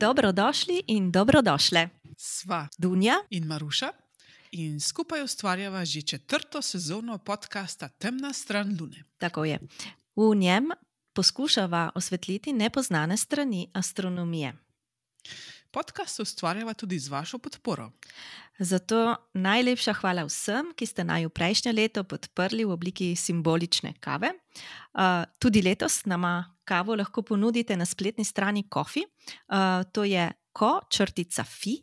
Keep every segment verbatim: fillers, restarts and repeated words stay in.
Dobrodošli in dobrodošle. Sva Dunja in Maruša in skupaj ustvarjava že četrto sezono podcasta Temna stran Lune. Tako je. V njem poskušava osvetliti nepoznane strani astronomije. Podcast ustvarjava tudi z vašo podporo. Zato najlepša hvala vsem, ki ste naju prejšnje leto podprli v obliki simbolične kave. Uh, tudi letos nama kavo lahko ponudite na spletni strani Ko-fi. Uh, to je ko črtica fi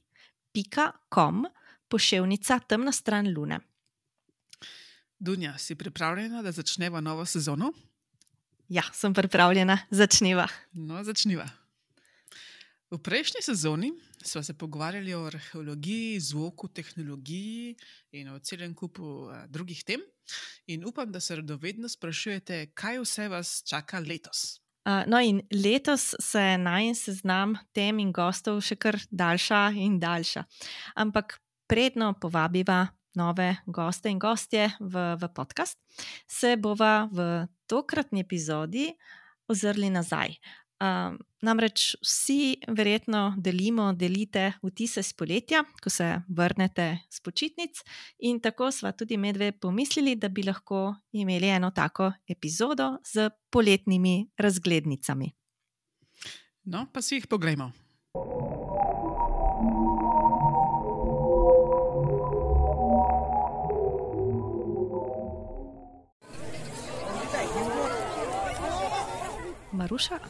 pika com poševnica Temna stran Lune. Dunja, si pripravljena, da začneva novo sezono? Ja, sem pripravljena. Začniva. No, začniva. V prejšnji sezoni sva se pogovarjali o arheologiji, zvoku, tehnologiji in o celem kupu a, drugih tem. In upam, da se radovedno sprašujete, kaj vse vas čaka letos. Uh, no, in letos se najin seznam tem in gostov še kar daljša in daljša. Ampak predno povabiva nove goste in gostje v, v podcast, se bova v tokratni epizodi ozrli nazaj. Uh, namreč vsi verjetno delimo, delite vtise s poletja, ko se vrnete s počitnic, in tako sva tudi medve pomislili, da bi lahko imeli eno tako epizodo z poletnimi razglednicami. No, pa si jih poglejmo. Maruša,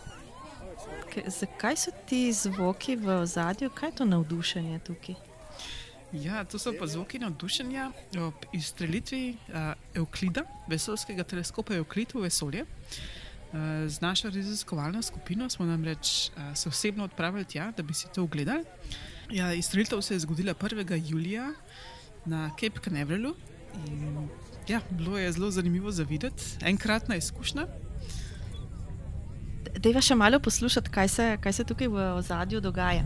zakaj so ti zvoki v ozadju? Kaj je to navdušenje tukaj? Ja, to so pa zvoki navdušenja ob izstrelitvi uh, Evklida, vesoljskega teleskopa Evklid v vesolje. Uh, z našo raziskovalno skupino smo namreč uh, se osebno odpravili tja, da bi si to ogledali. Ja, izstrelitev se je zgodila prvega julija na Cape Canaveralju in ja, bilo je zelo zanimivo za videti. Enkratna izkušnja. Dejva še malo poslušati, kaj se, kaj se tukaj v ozadju dogaja.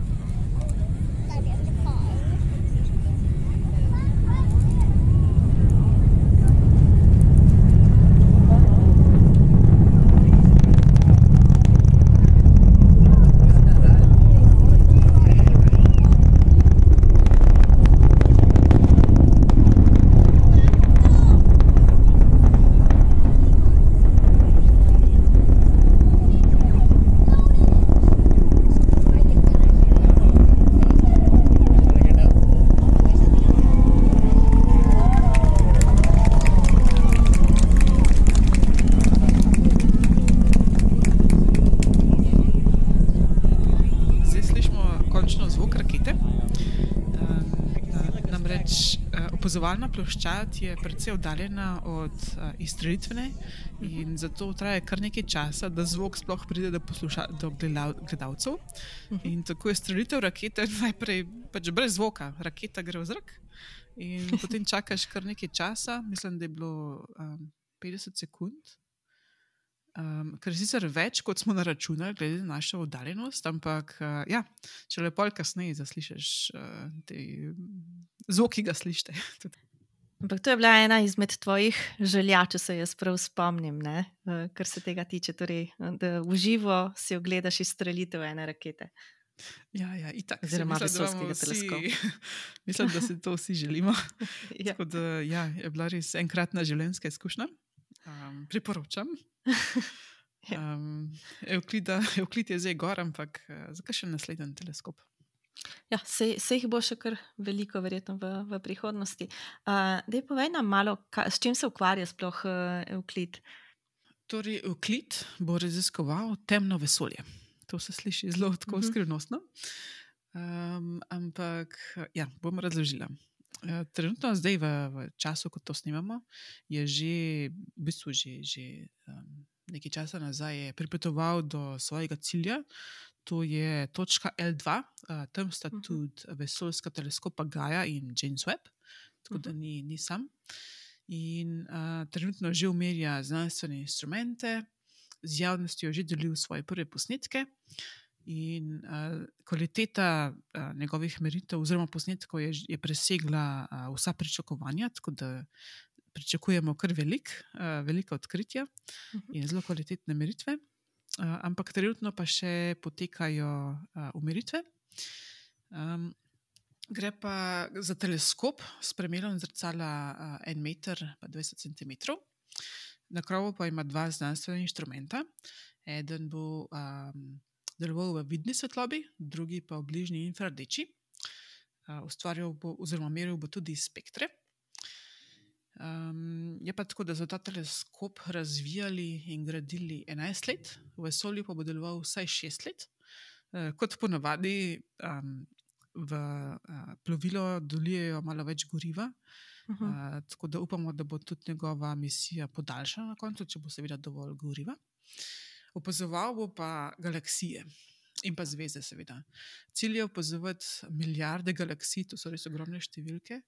Opazovalna ploščad je precej oddaljena od uh, izstrelitvene in zato traja kar nekaj časa, da zvok sploh pride do, posluša, do gledalcev. In tako je strelitev rakete najprej pač brez zvoka. Raketa gre v zrak in potem čakaš kar nekaj časa, mislim, da je bilo um, petdeset sekund. Um, kar je sicer več, kot smo naračunali, glede na našo oddaljenost, ampak uh, ja, če lepo kasneje zaslišiš uh, te zvoki, ga slišite. Ampak to je bila ena izmed tvojih želja, če se jaz prav spomnim, ne? Uh, kar se tega tiče, torej, da v živo si ogledaš izstrelitev ene rakete. Ja, ja, itak. Oziroma vesoljskega teleskopa. Mislim, da si to vsi želimo. Ja. Tako da ja, je bila res enkratna življenjska izkušnja. Um, priporočam. Um, Evklida, Evklid je zdaj gor, ampak uh, zakaj še naslednji teleskop? Ja, se, se jih bo še kar veliko verjetno v, v prihodnosti. Uh, daj povej nam malo, ka, s čim se ukvarja sploh uh, Evklid? Torej, Evklid bo raziskoval temno vesolje. To se sliši zelo tako uh-huh. skrivnostno. Um, ampak ja, bom razložila. Trenutno zdaj v, v času, ko to snimamo, je že v bistvu že, že um, nekaj časa nazaj je pripotoval do svojega cilja. To je točka el dva, uh, tam sta uh-huh. tudi vesoljska teleskopa Gaia in James Webb, tako uh-huh. da ni, ni sam. In uh, trenutno že umerja znanstvene instrumente, z javnostjo že delil svoje prve posnetke. In uh, kvaliteta uh, njegovih meritev oziroma posnetkov je, je presegla uh, vsa pričakovanja, tako da pričakujemo kar velik, uh, velika odkritja uh-huh. in zelo kvalitetne meritve. uh, ampak trenutno pa še potekajo uh, umeritve. Um, gre pa za teleskop s premerom zrcala uh, en meter pa dvajset centimetrov. Na krovu pa ima dva znanstvena inštrumenta. Eden bo um, deloval v vidni svetlobi, drugi pa v bližnji infrardeči. Uh, ustvarjal bo oziroma meril bo tudi spektre. Um, je pa tako, da so ta teleskop razvijali in gradili enajst let, v vesolju pa bo deloval vsaj šest let. Uh, kot ponavadi um, v uh, plovilo dolijejo malo več goriva, uh, tako da upamo, da bo tudi njegova misija podaljšana na koncu, če bo seveda dovolj goriva. Opazoval bo pa galaksije in pa zvezde, seveda. Cilj je opazovati milijarde galaksij, to so res ogromne številke.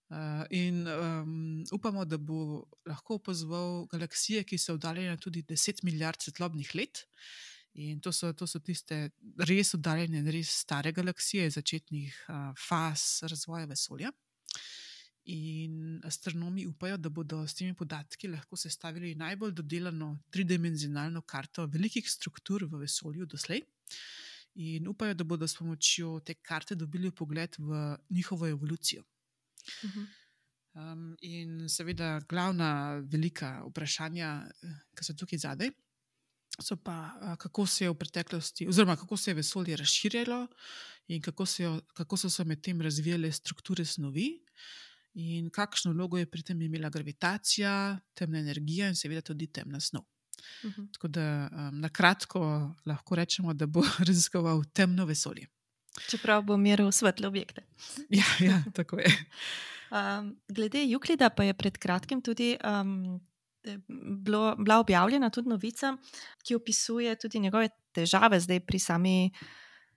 Uh, in um, upamo, da bo lahko opazoval galaksije, ki so oddaljene tudi deset milijard svetlobnih let. In to so, to so tiste res oddaljene, res stare galaksije, začetnih uh, faz razvoja vesolja. In astronomi upajo, da bodo s temi podatki lahko sestavili najbolj dodelano tridimenzionalno karto velikih struktur v vesolju doslej. In upajo, da bodo s pomočjo te karte dobili vpogled v njihovo evolucijo. Um, in seveda glavna velika vprašanja, ki so tukaj zadaj, so pa, kako se je v preteklosti, oziroma kako se je vesolje razširjalo in kako, se jo, kako so se med tem razvijale strukture snovi in kakšno vlogo je pri tem imela gravitacija, temna energija in seveda tudi temna snov. Uh-huh. Tako da um, na kratko lahko rečemo, da bo raziskoval temno vesolje. Čeprav bo meril svetle objekte. Ja, ja, tako je. Um, glede Euklida pa je pred kratkim tudi um, bilo, bila objavljena tudi novica, ki opisuje tudi njegove težave zdaj pri, sami,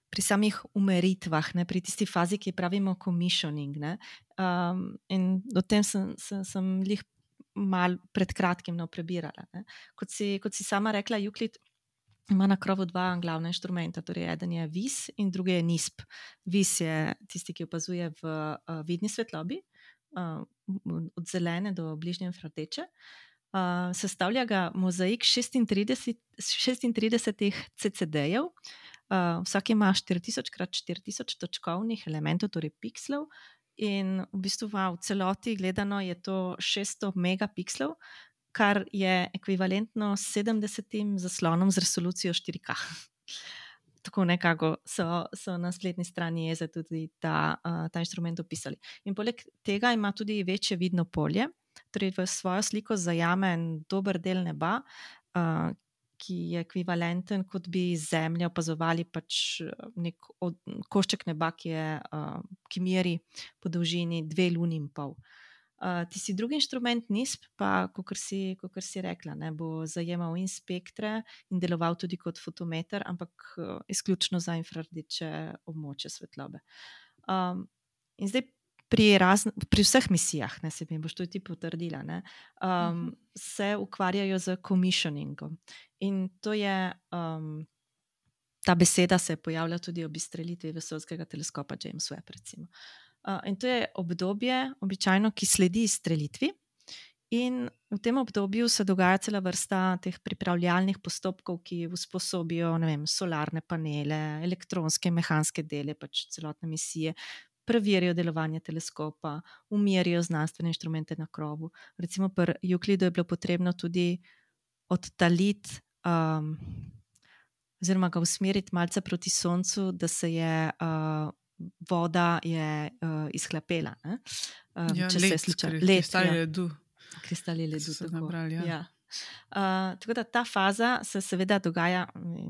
pri samih umeritvah, ne, pri tisti fazi, ki pravimo commissioning. Ne. Um, in o tem sem, sem, sem lih mal pred kratkim no, prebirala. Ne. Kot si, kot si sama rekla, Euklid ima na krovu dva glavna inštrumenta, torej eden je vis in drugi je nisp. Vis je tisti, ki opazuje v uh, vidni svetlobi, uh, od zelene do bližnje infrardeče. Uh, sestavlja ga mozaik šestintrideset, šestintridesetih C C D-jev, uh, vsak ima štiri tisoč krat štiri tisoč točkovnih elementov, torej pikslov, in v bistvu v celoti gledano je to šeststo megapikslov, kar je ekvivalentno sedemdesetim zaslonom z resolucijo štiri K. Tako nekako so, so na spletni strani Eze tudi ta, uh, ta inštrument opisali. In poleg tega ima tudi večje vidno polje, torej v svojo sliko zajame en dober del neba, uh, ki je ekvivalenten, kot bi Zemljo opazovali pač nek od, košček neba, ki, je, uh, ki meri po dolžini dve luni in pol. Uh, tisti drugi inštrument nisp pa, kakor si, kakor si rekla, ne, bo zajemal in spektre in deloval tudi kot fotometer, ampak uh, izključno za infrardeče območje svetlobe. Um, in zdaj pri, razn, pri vseh misijah, ne, se mi boš to ti potrdila, ne, um, uh-huh. se ukvarjajo z commissioningom. In to je, um, ta beseda se je pojavila tudi ob izstrelitvi vesoljskega teleskopa James Webb, recimo. Uh, in to je obdobje, običajno, ki sledi izstrelitvi, in v tem obdobju se dogaja cela vrsta teh pripravljalnih postopkov, ki usposobijo, ne vem, solarne panele, elektronske in mehanske dele, pač celotne misije, preverijo delovanje teleskopa, umerijo znanstvene inštrumente na krovu. Recimo pri Euklidu je bilo potrebno tudi odtaliti um, oziroma ga usmeriti malce proti soncu, da se je uh, voda je uh, izhlapela. Um, ja, če let, se sluča, let, let, kristali ja. ledu. Kristali ledu, tako. Nabrali, ja. Ja. Uh, tako da ta faza se seveda dogaja,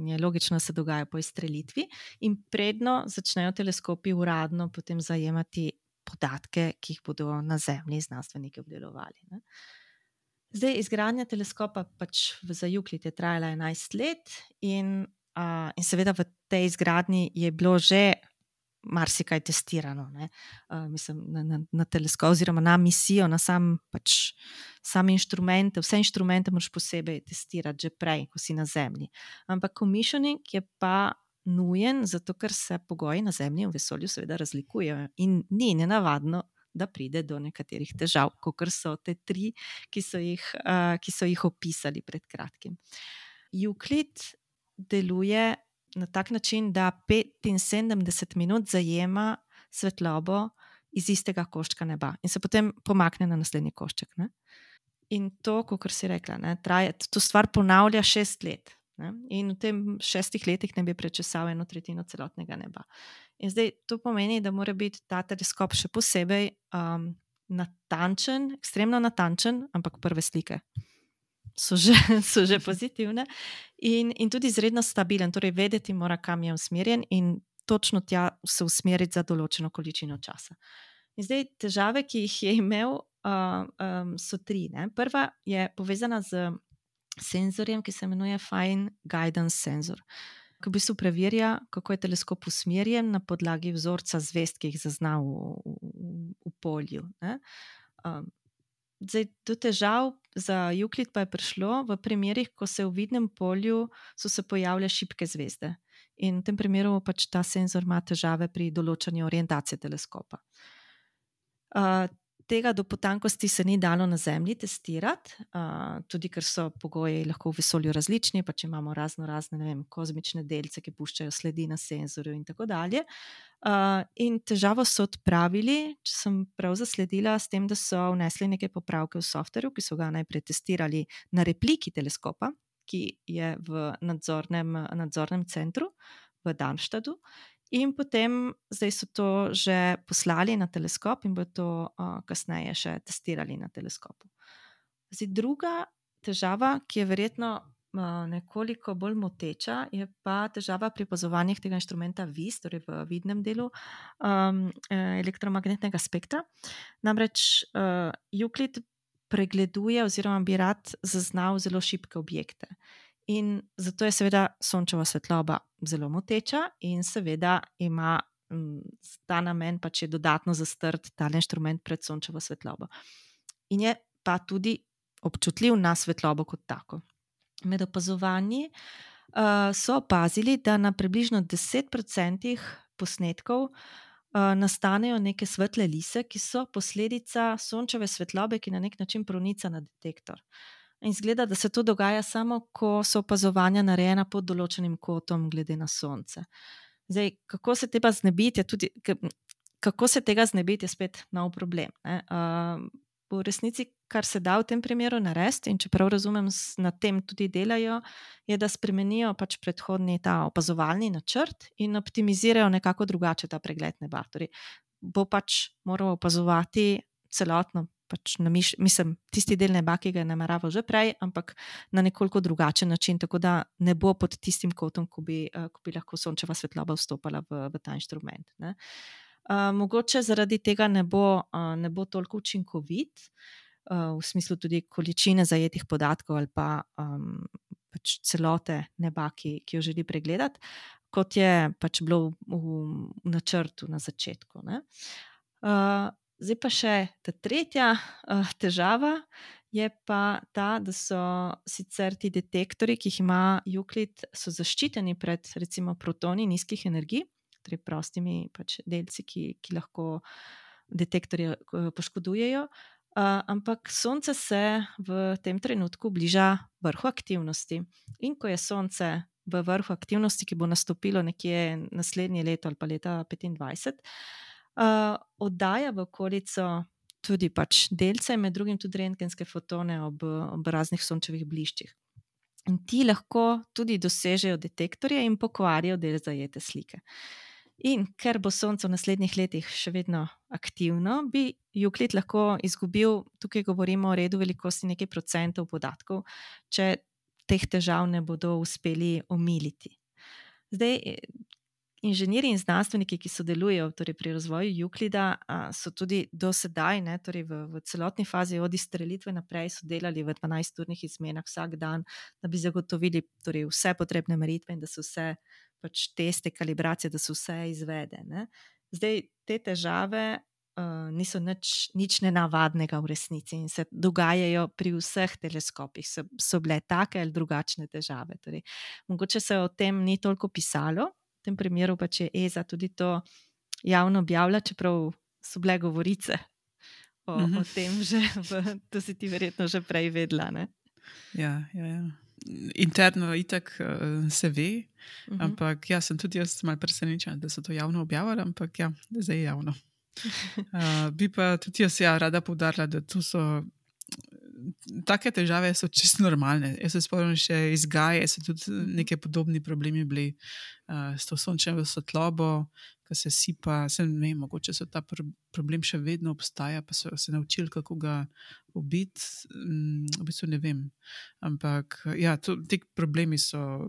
je logično, da se dogaja po izstrelitvi in predno začnejo teleskopi uradno potem zajemati podatke, ki jih bodo na Zemlji znanstveniki obdelovali. Ne. Zdaj, izgradnja teleskopa pač za Euklid je trajala enajst let in, uh, in seveda v tej izgradnji je bilo že marsikaj testirano, ne? Uh, mislim, na, na, na teleskop oziroma na misijo, na sam pač same inštrumente, vse inštrumente moraš posebej testirati že prej, ko si na Zemlji. Ampak commissioning je pa nujen, zato ker se pogoji na Zemlji in v vesolju seveda razlikujejo in ni nenavadno, da pride do nekaterih težav, kakor so te tri, ki so jih, uh, ki so jih opisali pred kratkim. Euklid deluje na tak način, da petinsedemdeset minut zajema svetlobo iz istega koščka neba in se potem pomakne na naslednji košček. Ne? In to, kot si rekla, ne, traje, to stvar ponavlja šest let. Ne? In v tem šestih letih ne bi prečesal eno tretjino celotnega neba. In zdaj to pomeni, da mora biti ta teleskop še posebej um, natančen, ekstremno natančen, ampak prve slike so že, so že pozitivne in, in tudi izredno stabilen, torej vedeti mora, kam je usmerjen in točno tja se usmeriti za določeno količino časa. In zdaj težave, ki jih je imel, uh, um, so tri. Ne? Prva je povezana z senzorjem, ki se imenuje Fine Guidance Sensor, ki v bistvu preverja, kako je teleskop usmerjen na podlagi vzorca zvezd, ki jih zazna v, v, v polju. Ne? Um, zdaj, do težav za Euclid pa je prišlo v primerih, ko se v vidnem polju so se pojavile šibke zvezde. In v tem primeru pač ta senzor ima težave pri določanju orientacije teleskopa. Uh, tega do potankosti se ni dalo na Zemlji testirati, uh, tudi ker so pogoji lahko v vesolju različni, pa če imamo razno razne, ne vem, kozmične delce, ki puščajo sledi na senzorju in tako dalje. Uh, in težavo so odpravili, če sem prav zasledila, s tem, da so vnesli neke popravke v softverju, ki so ga najprej testirali na repliki teleskopa, ki je v nadzornem, nadzornem centru v Darmstadtu. In potem zdaj so to že poslali na teleskop in bo to uh, kasneje še testirali na teleskopu. Zdaj, druga težava, ki je verjetno uh, nekoliko bolj moteča, je pa težava pri opazovanjih tega inštrumenta V I S, torej v vidnem delu um, elektromagnetnega spektra. Namreč uh, Euclid pregleduje oziroma bi rad zaznal zelo šibke objekte. In zato je seveda sončeva svetloba zelo moteča in seveda ima m, ta namen pač je dodatno zastrti ta inštrument pred sončevo svetlobo. In je pa tudi občutljiv na svetlobo kot tako. Med opazovanji uh, so opazili, da na približno deset odstotkov posnetkov uh, nastanejo neke svetle lise, ki so posledica sončeve svetlobe, ki na nek način pronica na detektor. In izgleda, da se to dogaja samo, ko so opazovanja narejena pod določenim kotom glede na sonce. Zdaj, kako se tega znebiti, je tudi, kako se tega znebiti, je spet nov problem. Ne? Uh, v resnici, kar se da v tem primeru narediti, in čeprav razumem, na tem tudi delajo, je, da spremenijo pač predhodni ta opazovalni načrt in optimizirajo nekako drugače ta pregled neba. Torej, bo pač moral opazovati celotno, pač na miš, mislim, tisti del neba, ki ga je nameraval že prej, ampak na nekoliko drugačen način, tako da ne bo pod tistim kotom, ko bi, ko bi lahko sončeva svetloba vstopala v, v ta inštrument. Ne. Uh, mogoče zaradi tega ne bo, uh, ne bo toliko učinkovit, uh, v smislu tudi količine zajetih podatkov ali pa um, pač celote neba, ki, ki jo želi pregledati, kot je pač bilo v, v načrtu na začetku. Ne. Uh, Zdaj pa še ta tretja uh, težava je pa ta, da so sicer ti detektori, ki jih ima Euclid, so zaščiteni pred recimo protoni nizkih energij, torej prostimi pač delci, ki, ki lahko detektorje uh, poškodujejo, uh, ampak Sonce se v tem trenutku bliža vrhu aktivnosti. In ko je Sonce v vrhu aktivnosti, ki bo nastopilo nekje naslednje leto ali pa leta petindvajset, Uh, oddaja v okolico tudi pač delce, med drugim tudi rentgenske fotone ob, ob raznih sončevih bliščih. In ti lahko tudi dosežejo detektorje in pokvarijo del zajete slike. In ker bo Sonce v naslednjih letih še vedno aktivno, bi Euclid lahko izgubil, tukaj govorimo o redu velikosti nekaj procentov podatkov, če teh težav ne bodo uspeli omiliti. Zdaj, inženirji in znanstveniki, ki sodelujejo torej pri razvoju Euclida, so tudi do sedaj, ne, torej v, v celotni fazi od izstrelitve naprej, so delali v dvanajsturnih izmenah vsak dan, da bi zagotovili torej vse potrebne meritve in da so vse pač teste, kalibracije, da so vse izvede. Ne. Zdaj, te težave uh, niso nič, nič nenavadnega v resnici in se dogajajo pri vseh teleskopih. So, so bile take ali drugačne težave. Torej, mogoče se o tem ni toliko pisalo. V tem primeru pa če je E S A tudi to javno objavlja, čeprav so bile govorice o, mm-hmm. o tem že, v, to si ti verjetno že prej vedela. Ne? Ja, ja, ja. interno itak uh, se ve, Uh -huh. ampak ja, sem tudi jaz malo presenečen, da so to javno objavili, ampak ja, zdaj je javno. Uh, bi pa tudi jaz ja, rada poudarila, da to so take težave so čisto normalne. Jaz se spomnim še iz Gaje, so tudi neke podobni problemi bili uh, s to sončevo svetlobo, ko se sipa, se ne vem, mogoče so ta pr problem še vedno obstaja, pa so se naučili, kako ga ubiti, um, v bistvu ne vem. Ampak ja, to, ti problemi so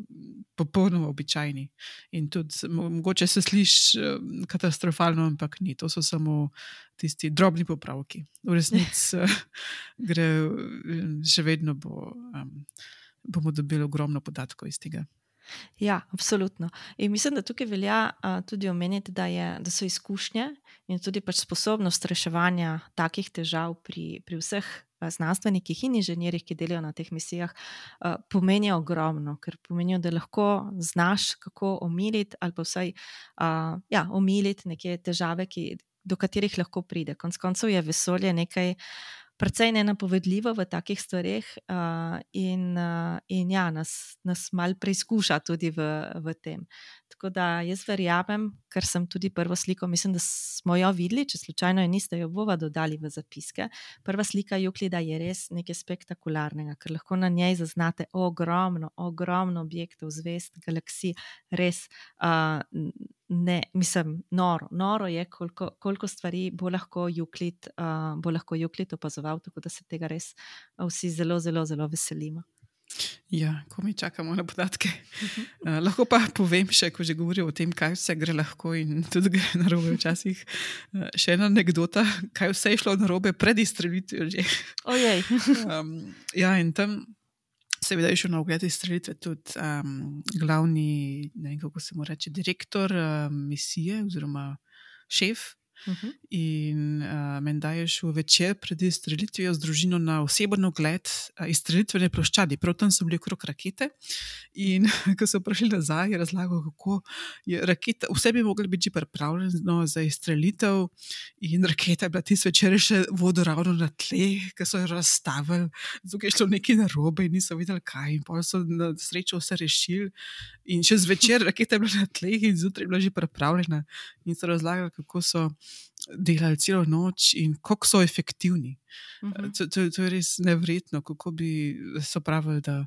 popolnoma običajni in tudi mogoče se sliši uh, katastrofalno, ampak ni. To so samo tisti drobni popravki. V resnici uh, gre, še vedno bo, um, bomo dobili ogromno podatkov iz tega. Ja, absolutno. In mislim, da tukaj velja uh, tudi omeniti, da, je, da so izkušnje in tudi pač sposobnost reševanja takih težav pri, pri vseh uh, znanstvenikih in inženirjih, ki delajo na teh misijah, uh, pomenijo ogromno, ker pomenijo, da lahko znaš, kako omiliti ali pa vsaj uh, ja, omiliti neke težave, ki, do katerih lahko pride. Konec koncev je vesolje nekaj precej nenapovedljivo v takih stvareh uh, in, uh, in ja, nas, nas mal preizkuša tudi v, v tem. Tako da jaz verjamem, ker sem tudi prvo sliko, mislim, da smo jo videli, če slučajno je niste, jo bova dodali v zapiske. Prva slika Juklida je res nekaj spektakularnega, ker lahko na njej zaznate ogromno, ogromno objektov, zvezd, galaksij, res uh, ne, mislim, noro. Noro je, koliko, koliko stvari bo lahko Juklid, uh, bo lahko Juklid opazoval, tako da se tega res vsi zelo, zelo, zelo veselimo. Ja, ko mi čakamo na podatke. Uh, lahko pa povem še, ko že govorim o tem, kaj vse gre lahko in tudi gre narobe včasih. Uh, še ena anekdota, kaj vse je šlo narobe pred izstrelitvijo že. Ojej. um, ja, in tam seveda je šel na ogled izstrelitve tudi um, glavni, ne vem, kako se mu reče, direktor uh, misije oziroma šef. Uh -huh. In uh, menda je šel večer pred izstrelitvijo z družino na oseben ogled uh, izstrelitvene ploščadi. Prav tam so bili okrog rakete in ko so prišli nazaj, je razlagal, kako je raketa, vse bi mogli biti že pripravljeno za izstrelitev in raketa je bila tisti večer še vodoravno na tleh, ko so jo razstavili, zato je šlo nekaj narobe in niso videli kaj in potem so na srečo vse rešili in še zvečer raketa je bila na tleh in zjutraj je bila že pripravljena in so razlagali, kako so delali celo noč in kako so efektivni. Uh -huh. to, to, to je res neverjetno, kako bi so pravili, da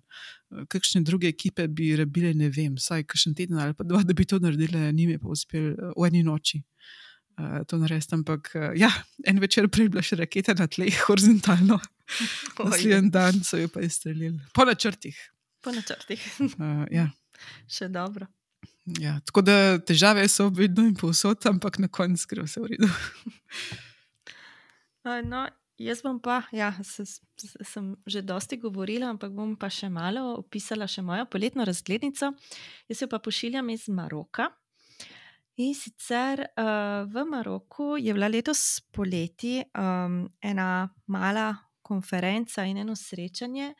kakšne druge ekipe bi rabile, ne vem, vsaj kakšen teden ali pa dva, da bi to naredile, njim je pa uspel v eni noči uh, to narediti, ampak uh, ja, en večer prej bila še raketa na tleh horizontalno. Naslednji dan so jo pa izstrelili. Po načrtih. Po načrtih. uh, ja. Še dobro. Ja, tako da težave so vedno in povsod, ampak na koncu gre vse v redu. No, jaz bom pa, ja, se, sem že dosti govorila, ampak bom pa še malo opisala še mojo poletno razglednico. Jaz jo pa pošiljam iz Maroka. In sicer uh, v Maroku je bila letos poleti um, ena mala konferenca in eno srečanje,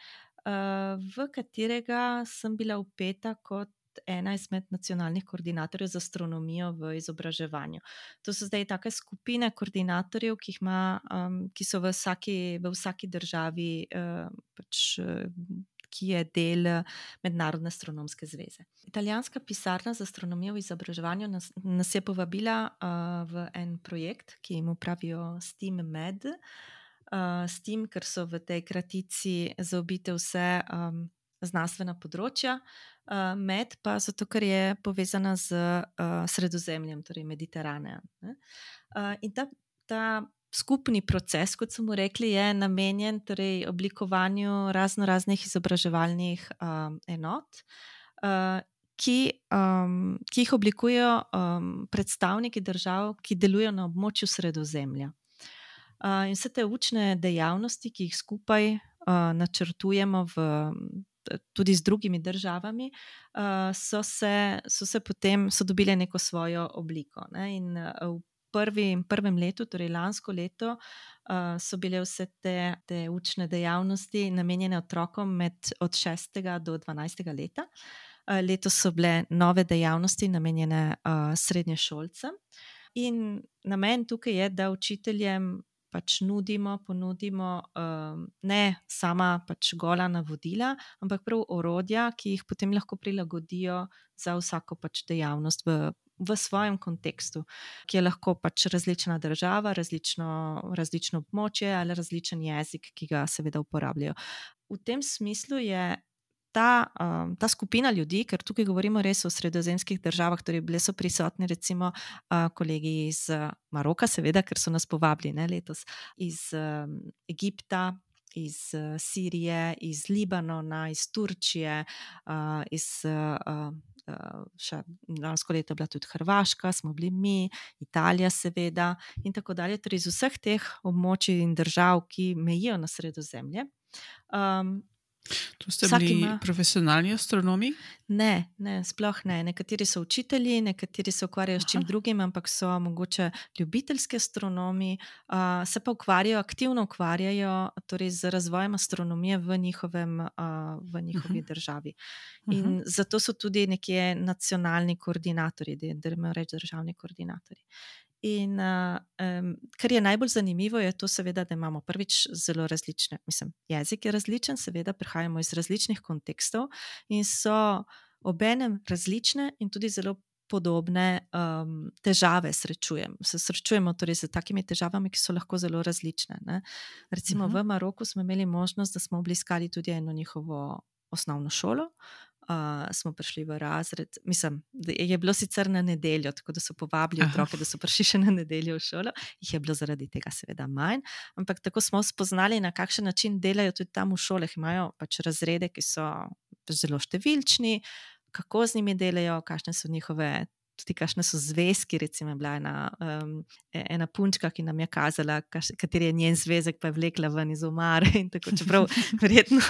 uh, v katerega sem bila vpeta kot ena izmed nacionalnih koordinatorjev za astronomijo v izobraževanju. To so zdaj take skupine koordinatorjev, ki, jih ima, um, ki so v vsaki, v vsaki državi, uh, pač, uh, ki je del Mednarodne astronomske zveze. Italijanska pisarna za astronomijo v izobraževanju nas, nas je povabila uh, v en projekt, ki jim pravijo STEAM-Med, uh, STEAM, ker so v tej kratici zaobite vse um, znanstvena področja, uh, Med pa zato, ker je povezana z uh, Sredozemljem, torej Mediteranejem. Uh, in ta, ta skupni proces, kot smo rekli, je namenjen torej oblikovanju razno raznih izobraževalnih um, enot, uh, ki, um, ki jih oblikujejo um, predstavniki držav, ki delujejo na območju Sredozemlja. Uh, in vse te učne dejavnosti, ki jih skupaj uh, načrtujemo v tudi z drugimi državami, uh, so, se, so se potem so dobile neko svojo obliko. Ne? In v prvi, prvem letu, torej lansko leto, uh, so bile vse te, te učne dejavnosti namenjene otrokom med od šestega do dvanajstega leta. Uh, letos so bile nove dejavnosti namenjene uh, srednješolcem. In namen tukaj je, da učiteljem pač nudimo, ponudimo um, ne sama pač gola navodila, ampak prav orodja, ki jih potem lahko prilagodijo za vsako pač dejavnost v, v svojem kontekstu, ki je lahko pač različna država, različno, različno območje ali različen jezik, ki ga seveda uporabljajo. V tem smislu je Ta, um, ta skupina ljudi, ker tukaj govorimo res o sredozemskih državah, torej bile so prisotni recimo uh, kolegi iz uh, Maroka, seveda, ker so nas povabili ne, letos, iz um, Egipta, iz uh, Sirije, iz Libanona, iz Turčije, uh, iz uh, uh, še lansko leto je bila tudi Hrvaška, smo bili mi, Italija seveda in tako dalje, torej iz vseh teh območij in držav, ki mejijo na Sredozemlje. Um, To ste bili ima... profesionalni astronomi? Ne, ne, sploh ne. Nekateri so učitelji, nekateri se ukvarjajo Aha. s čim drugim, ampak so mogoče ljubiteljski astronomi, uh, se pa ukvarjajo, aktivno ukvarjajo torej z razvojem astronomije v, njihovem, uh, v njihovi uh-huh. državi. In uh-huh. zato so tudi nekje nacionalni koordinatorji, da imajo reči državni koordinatorji. In uh, um, kar je najbolj zanimivo, je to, seveda, da imamo prvič zelo različne, mislim, jezik je različen, seveda, prihajamo iz različnih kontekstov in so obenem različne in tudi zelo podobne um, težave srečujemo. Se srečujemo torej z takimi težavami, ki so lahko zelo različne. Ne? Recimo uh-huh. v Maroku smo imeli možnost, da smo obiskali tudi eno njihovo osnovno šolo. Uh, smo prišli v razred, mislim, je bilo sicer na nedeljo, tako da so povabili otroke, da so prišli še na nedeljo v šolo, jih je bilo zaradi tega seveda manj, ampak tako smo spoznali, na kakšen način delajo tudi tam v šolah, imajo pač razrede, ki so zelo številčni, kako z njimi delajo, kakšne so njihove, tudi kakšne so zvezki, recimo je bila ena, um, ena punčka, ki nam je kazala, kateri je njen zvezek, pa je vlekla ven iz omare in tako, čeprav verjetno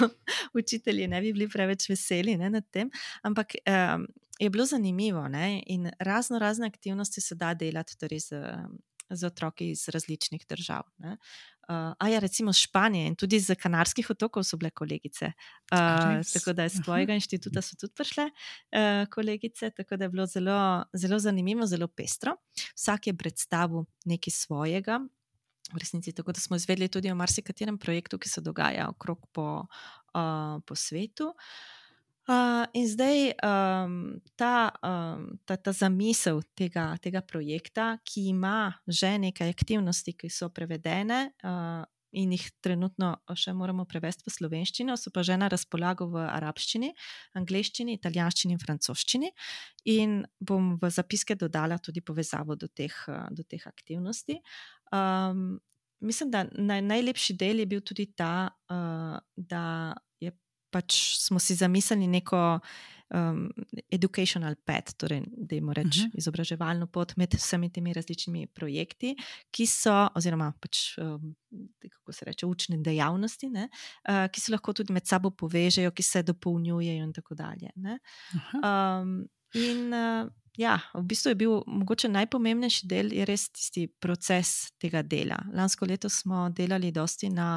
učitelji ne bi bili preveč veseli ne, nad tem, ampak um, je bilo zanimivo ne, in razno razne aktivnosti se da delati torej z, z otroki iz različnih držav. Ne. Uh, a ja, recimo z Španije in tudi z Kanarskih otokov so bile kolegice. Uh, tako da iz tvojega inštituta so tudi prišle uh, kolegice, tako da je bilo zelo, zelo zanimivo, zelo pestro. Vsak je predstavil nekaj svojega, v resnici, tako da smo izvedeli tudi o marsikaterem projektu, ki se dogaja okrog po, uh, po svetu. Uh, in zdaj um, ta, um, ta, ta zamisel tega, tega projekta, ki ima že nekaj aktivnosti, ki so prevedene uh, in jih trenutno še moramo prevesti v slovenščino, so pa že na razpolago v arabščini, angleščini, italijanščini in francoščini. In bom v zapiske dodala tudi povezavo do teh, do teh aktivnosti. Um, mislim, da naj, najlepši del je bil tudi ta, uh, da je pač smo si zamislili neko um, educational path, torej, da jim reči uh-huh. izobraževalno pot med vsemi temi različnimi projekti, ki so, oziroma pač, um, kako se reče, učne dejavnosti, ne, uh, ki se lahko tudi med sabo povežejo, ki se dopolnjujejo in tako dalje. Ne. Uh-huh. Um, in uh, ja, v bistvu je bil mogoče najpomembnejši del, je res tisti proces tega dela. Lansko leto smo delali dosti na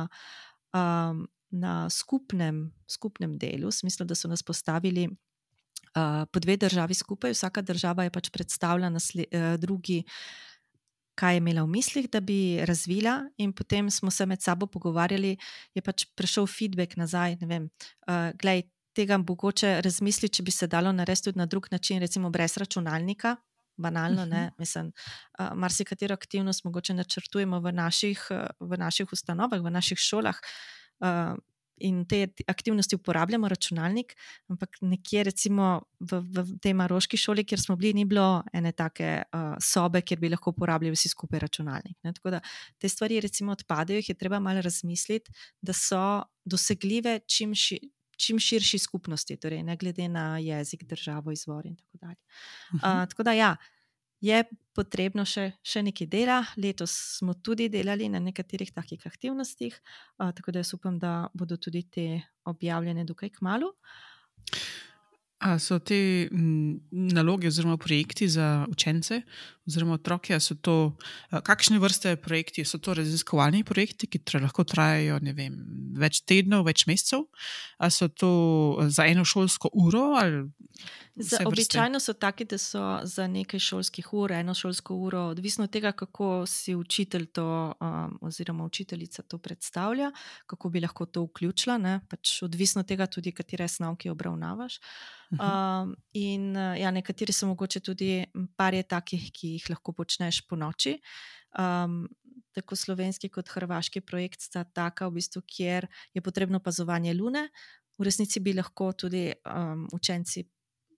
um, na skupnem, skupnem delu, v smislu, da so nas postavili uh, po dve državi skupaj, vsaka država je pač predstavila nasle, uh, drugi, kaj je imela v mislih, da bi razvila, in potem smo se med sabo pogovarjali, je pač prišel feedback nazaj, ne vem, uh, glej, tega mogoče razmisli, če bi se dalo narediti tudi na drug način, recimo brez računalnika, banalno, ne, mislim, uh, marsikatero aktivnost mogoče načrtujemo v naših, uh, v naših ustanovah, v naših šolah, Uh, in te aktivnosti uporabljamo računalnik, ampak nekje recimo v, v tej maroški šoli, kjer smo bili, ni bilo ene take uh, sobe, kjer bi lahko uporabljali vsi skupaj računalnik. Ne? Tako da te stvari recimo odpadejo, jih je treba malo razmisliti, da so dosegljive čim, ši, čim širši skupnosti, torej ne glede na jezik, državo, izvor in tako dalje. Uh, tako da ja, je potrebno še, še nekaj dela. Letos smo tudi delali na nekaterih takih aktivnostih, uh, tako da jaz upam, da bodo tudi te objavljene dokaj kmalu. A so te m, naloge oziroma projekti za učence oziroma otroke, a so to, a, kakšne vrste projekti, so to raziskovalni projekti, ki tra, lahko trajajo, ne vem, več tednov, več mesecev, a so to za eno šolsko uro ali... Za, običajno so taki, da so za nekaj šolskih ur, eno šolsko uro, odvisno od tega, kako si učitelj to, um, oziroma učiteljica to predstavlja, kako bi lahko to vključila, ne? Pač odvisno od tega tudi, katere snovke obravnavaš. Um, in ja, nekateri so mogoče tudi par je takih, ki jih lahko počneš po noči. Um, tako slovenski kot hrvaški projekt sta taka, v bistvu, kjer je potrebno opazovanje lune. V resnici bi lahko tudi um, učenci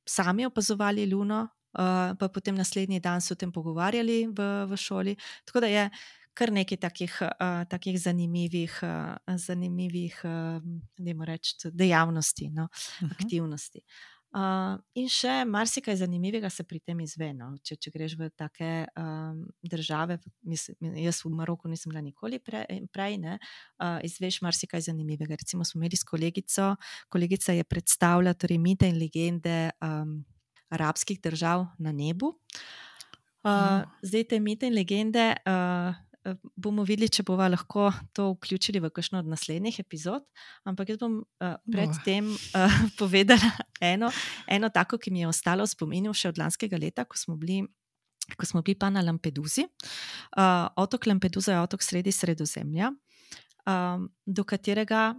sami opazovali luno, uh, pa potem naslednji dan se o tem pogovarjali v, v šoli. Tako da je kar nekaj takih, uh, takih zanimivih, uh, zanimivih uh, dajmo reči, dejavnosti, no, uh-huh. aktivnosti. Uh, in še marsikaj zanimivega se pri tem izve. No. Če, če greš v take um, države, mislim, jaz v Maroku nisem bila nikoli pre, prej, ne, uh, izveš marsikaj zanimivega. Recimo smo imeli s kolegico, kolegica je predstavila torej mite in legende um, arabskih držav na nebu. Uh, oh. Zdaj te mite in legende uh, bomo videli, če bova lahko to vključili v kakšno od naslednjih epizod, ampak jaz bom uh, predtem uh, povedala eno, eno tako, ki mi je ostalo v spominu še od lanskega leta, ko smo bili, ko smo bili pa na Lampedusi. Uh, otok Lampedusa je otok sredi Sredozemlja, um, do katerega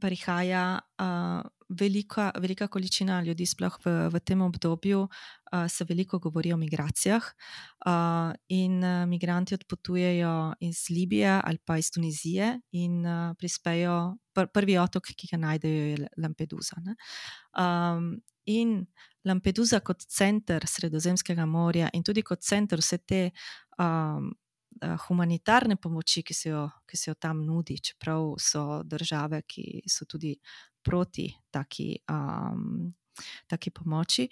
prihaja uh, velika, velika količina ljudi, sploh v, v tem obdobju uh, se veliko govori o migracijah uh, in uh, migranti odpotujejo iz Libije ali pa iz Tunizije in uh, prispejo, pr, prvi otok, ki ga najdejo, je Lampedusa. Ne? Um, in Lampedusa kot center Sredozemskega morja in tudi kot center vse te um, humanitarne pomoči, ki se, jo, ki se jo tam nudi, čeprav so države, ki so tudi proti taki, um, taki pomoči.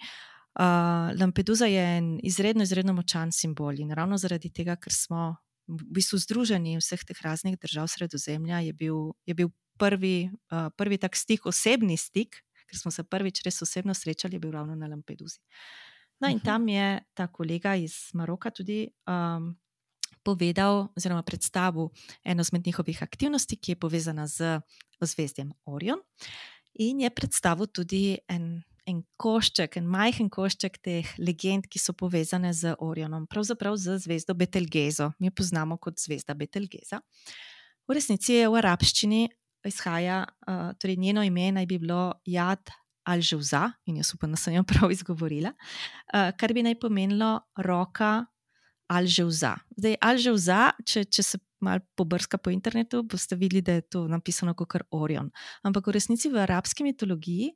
Uh, Lampedusa je en izredno, izredno močan simbol in ravno zaradi tega, ker smo v bistvu združeni vseh teh raznih držav Sredozemlja, je bil, je bil prvi, uh, prvi tak stik, osebni stik, ker smo se prvič res osebno srečali, je bil ravno na Lampedusi. No in tam je ta kolega iz Maroka tudi um, povedal oziroma predstavil eno izmed njihovih aktivnosti, ki je povezana z ozvezdjem Orion, in je predstavil tudi en, en košček, en majhen košček teh legend, ki so povezane z Orionom, pravzaprav z zvezdo Betelgezo. Mi jo poznamo kot zvezda Betelgeza. V resnici je v arabščini izhaja, uh, torej njeno ime naj bi bilo Jad al-Jauza, in jaz upam, da sem jo prav izgovorila, uh, kar bi naj pomenilo roka Al-Jauza. Zdaj, Al-Jauza, če, če se malo pobrska po internetu, boste videli, da je to napisano kot Orion. Ampak v resnici v arabski mitologiji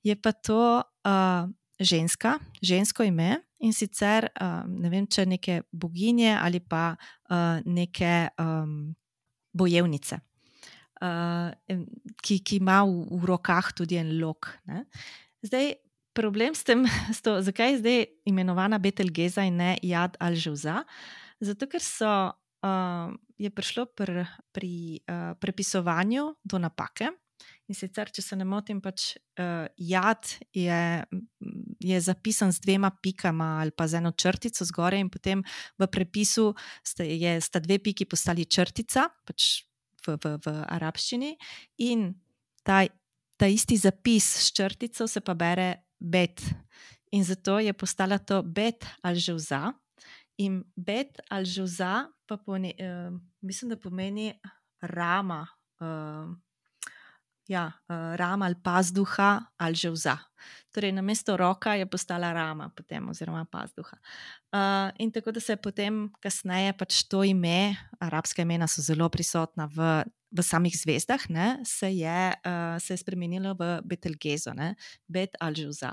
je pa to uh, ženska, žensko ime in sicer, uh, ne vem, če neke boginje ali pa uh, neke um, bojevnice, uh, ki, ki ima v, v rokah tudi en lok. Ne? Zdaj, problem s tem, s to, zakaj je zdaj imenovana Betelgeza in ne Jad al-Jauza? Zato, ker so, uh, je prišlo pr, pri uh, prepisovanju do napake. In sicer, če se ne motim, pač uh, Jad je, je zapisan z dvema pikama ali pa z eno črtico zgore in potem v prepisu sta, je, sta dve piki postali črtica, pač v, v, v arabščini, in ta, ta isti zapis s črtico se pa bere Bet. In zato je postala to Bet al-Jauza. In Bet al-Jauza pa pomeni, uh, mislim, da pomeni rama, uh, ja, uh, rama ali pazduha al-Jauza. Torej, namesto roka je postala rama potem, oziroma pazduha. Uh, in tako da se je potem kasneje pač to ime, arabska imena so zelo prisotna v v samih zvezdah, ne, se, je, uh, se je spremenilo v Betelgezo, ne, Bet al-Jauza.